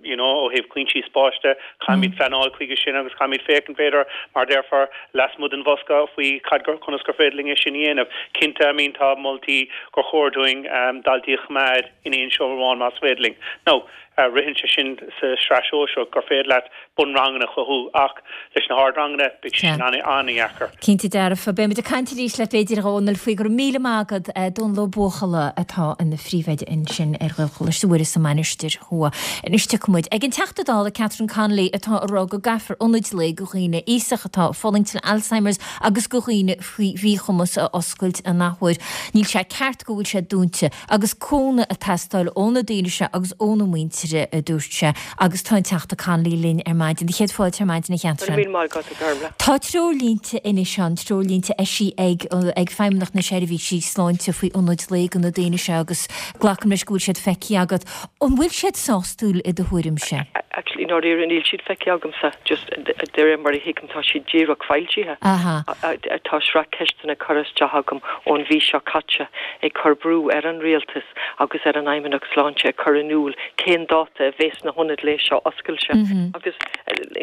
you know, ó thaobh cúinsí spáis de, caithfimid pleanáil chuige sin agus caithfimid féachaint, b'fhéidir, mar a déarfá, lasmuigh den bhosca faoi cad gur, conas gur féidir linn é sin a dhéanamh. Cinnte, I mean, tá moltaí gur chóir dúinn daltaí a choimeád in aon seomra amháin más féidir linn. Now, ritheann sé sin sa sraith shóisearach gur féidir leat bunranganna a chothú ach leis na hardranganna beidh sé sin an-dheacair. Cinnte dearfa. Beimid ag caint arís leat b'fhéidir a Dhónaill faoi. Go raibh míle maith agat. Dónal Ó Buachalla atá ina phríomhoide ansin ar Ghaelcholáiste Mhuire sa Mainistir Thuaidh. Anois tiocfaidh muid ag an Teachta Dála Catherine Connolly atá ag rá go gcaithfear ionaid lae do dhaoine aosacha atá ag fulaingt le Alzheimer's agus do dhaoine faoi mhíchumas a oscailt an athuair. Níl sé ceart go bhfuil sé dúnta agus cúnamh ag teastáil ó na daoine seo agus óna muintir, a dúirt sé. Agus tá an Teachta Connolly linn ar maidin. Céad fáilte ar maidin, a Chatherine. Go raibh míle maith agat, a Ghormfhlaith. Tá treoirlínte anois ann, treoirlínte eisithe ag ag Feidhmeannacht na Seirbhísí Sláinte faoi ionaid lae do na daoine seo agus glacaim leis go bhfuil siad feicthe agat. An bhfuil siad sásúil i do thuairimse? Actually, i ndáiríre níl siad feicthe agamsa, just de réir mar a thuigim tá siad díreach foilsithe. Tá sraith ceisteanna curtha isteach agam ón mhí seo caite ag cur brú ar an Rialtas agus ar an Fheidhmeannacht Sláinte a chur in iúl cén dáta a bheas na hionaid lae seo oscailte. Agus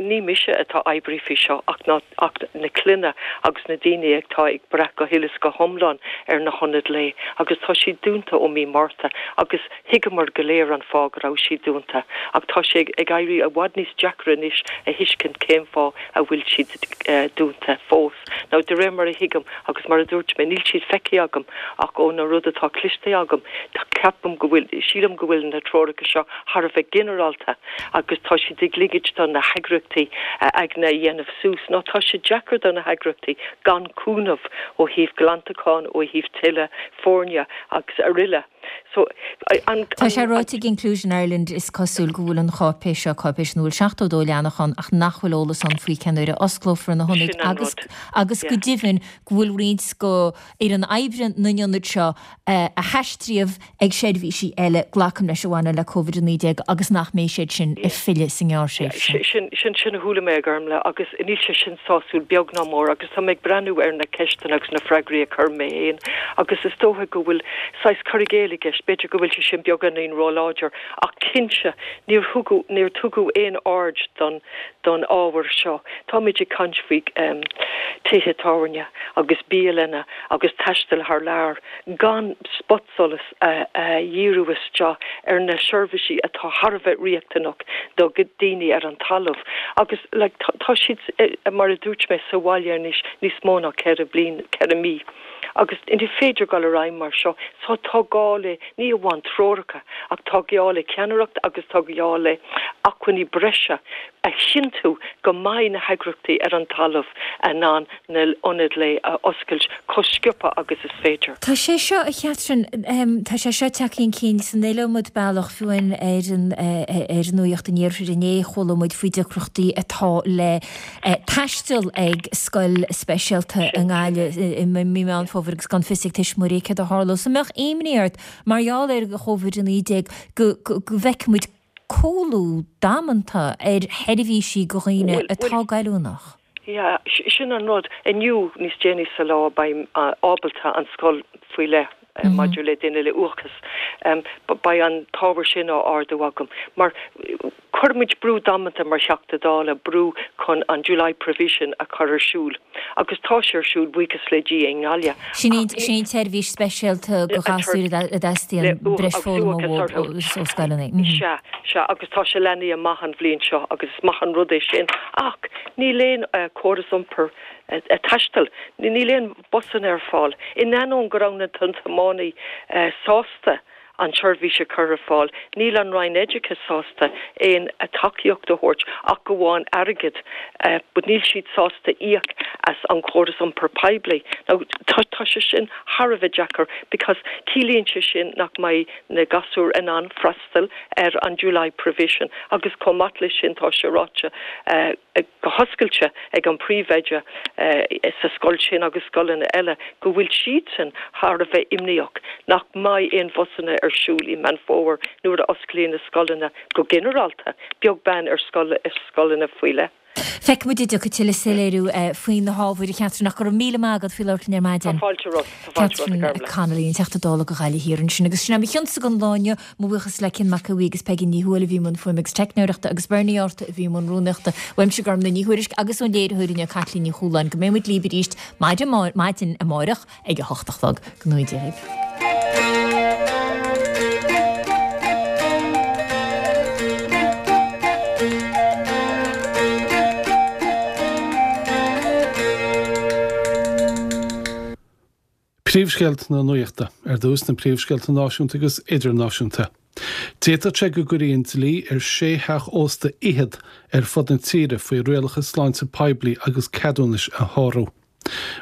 Ní mise atá ag oibriú faoi seo ach ná ach na clainne agus na daoine atá ag brath go huile is go hiomlán ar na hionaid lae agus tá siad dúnta ó mí Márta agus thuigeamar go léir an fáth go raibh siad dúnta ach tá sé ag éirí i bhfad níos deacra anois a thuiscint cén fáth a bhfuil siad dúnta fós. Now de réir mar a thuigim agus mar a dúirt mé níl siad feicthe agam ach ó na rud atá cloiste agam tá ceapaim go bhfuil sílim go bhfuil na treoracha seo thar a bheith ginearálta agus tá siad ag ligint do na heagraíochtaí a aigne a dhéanamh suas. Now tá sé deacair do na heagraíochtaí gan cúnamh ó thaobh glantacháin, ó thaobh tuilleadh foirne agus araile. So an Tá sé ráite ag Inclusion Ireland is cosúil go bhfuil an cháipéis seo, cáipéis ina bhfuil seachtó dó leathanach ann ach nach bhfuil eolas ann faoi cén uair a osclófar na hionaid agus agus go deimhin go bhfuil roinnt go fhoireann oibre na n-ionad seo a haistríodh ag seirbhísí eile, glacaim leis, a bhaineann le Covid a naoi déag agus nach mbeidh siad sin ag filleadh sa ngearrthréimhse. Sin sin sin a chuala mé a Ghormfhlaith agus níl sé sin sásúil beag ná mór agus tá mé ag breathnú ar na ceisteanna agus na freagraí a chuir mé féin agus is dócha go bhfuil saghas cur i gcéill i gceist, b'fhéidir go bhfuil sé sin beagáinín róláidir ach cinnte níor thugadh níor tugadh aon aird don don ábhar seo. Táimid ag caint faoi tithe tábhairne agus bialanna agus taisteal thar lear gan spotsolas a dhíriú isteach ar na seirbhísí atá thar a bheith riachtanach do dhaoine ar an talamh agus like tá siad mar a dúirt mé sa bhaile anois níos mó ná ceithre bliain ceithre mí agus ní féidir dul ar aghaidh mar seo so tá gá le ní amháin treoracha ach tá gá le ceannaireacht agus tá gá le acmhainní breise a chinntiú go mbeidh na heagraíochtaí ar an talamh in ann na hionaid lae a oscailt chomh sciobtha agus is féidir. Tá sé seo, a Chatherine, tá sé seo tagtha chun cinn san iliomad bealach, fiú amháin ar an ar Nuacht an Iarthair inné chuala muid faoi deacrachtaí atá le taisteal ag scoil speisialta i nGaillimh i mí Meán Fómhair agus gan fios ag tuismitheoirí céard a tharlós. An mbeadh imní ort mar gheall ar Covid a naoi déag go bhfeicfidh muid cúlú damanta ar sheirbhísí go dhaoine atá goilliúnach? Yeah, sin an rud. Inniu, níos déanaí sa lá, beidh ábalta an scoil faoi leith maidir le duine le uathachas, beidh an t-ábhar sin á ardú agam. Mar chuir muid brú damanta mar Theachta Dála, brú chun an July Provision a chur ar siúl. Agus tá sé ar siúl, buíochas le Dia, i nGaillimh. Sin í an tseirbhís speisialta do ghasúir a dteastaíonn breis foghlama uathu ó scoileanna. Sea, sea, agus tá sé leathnaithe amach an bhliain seo agus is maith an rud é sin. Ach níl aon córas iompair taistil, níl aon busanna ar fáil. In ainneoin go raibh na tiománaí sásta an tseirbhís a chur ar fáil, níl an Roinn Oideachais sásta aon tacaíocht a thabhairt ach amháin airgead, but níl siad sásta íoc as an chóras iompair poiblí. Now tá tá sé sin thar a bheith deacair because ciallaíonn sé sin nach mbeidh na gasúir in ann freastal ar an July Provision agus chomh maith leis sin tá sé ráite go hoscailte ag an bpríomhoide sa scoil sin agus scoileanna eile go bhfuil siadsan thar a bheith imníoch nach mbeidh aon bhusanna ar siúl i Meán Fómhair nuair a osclaíonn na scoileanna go ginearálta, beag beann ar scoileanna faoi leith. Feicfidh muid an dtiocfaidh tuilleadh soiléiriú faoi na hábhair, a Chatherine, ach go raibh míle maith agat faoi labhairt linn ar maidin. Tá fáilte romhat, tá fáilte romhat, a Catherine Connolly, an Teachta Dála do Ghaillimh Thiar ansin. Agus sin é mo chionsa don lá inniu. Mo bhuíochas le Cian Mac a' Bhuí agus Peigí Ní Thuathail a bhí i mbun fuaime agus teicneoireachta agus Bernie Arthur a bhí i mbun rúnaíochta. Uaimse Gormlaith Ní Thuairisg agus ón léiritheoir inniu Caitlín Ní Chualáin go mbeidh muid libh arís maidin maidin amárach ag a hocht a chlog. Go ngnóthaí Dia dhaoibh. Príomhscéalta na Nuachta, ar dtús na príomhscéalta náisiúnta agus idirnáisiúnta. D'fhéadfadh sé go gcuirfí an dlí ar sé theach ósta fhichead ar fud na tíre faoi rialacha sláinte poiblí agus ceadúnais a shárú.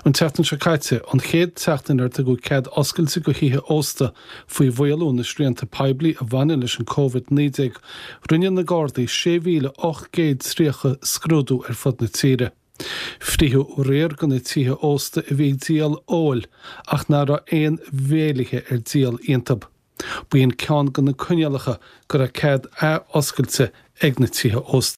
An tseachtain seo caite, an chéad tseachtain ar tugadh cead oscailte go thithe ósta faoi mhaolú na srianta poiblí a bhaineann leis an Covid naoi déag, rinne na Gardaí sé mhíle ocht gcéad tríocha scrúdú ar fud na tíre. Frítheadh riar de na tithe ósta a bhí ag díol óil ach nach raibh aon bhéilithe ar díol iontu. B'in ceann de na coinníollacha go raibh cead ath-oscailte ag na tithe ósta.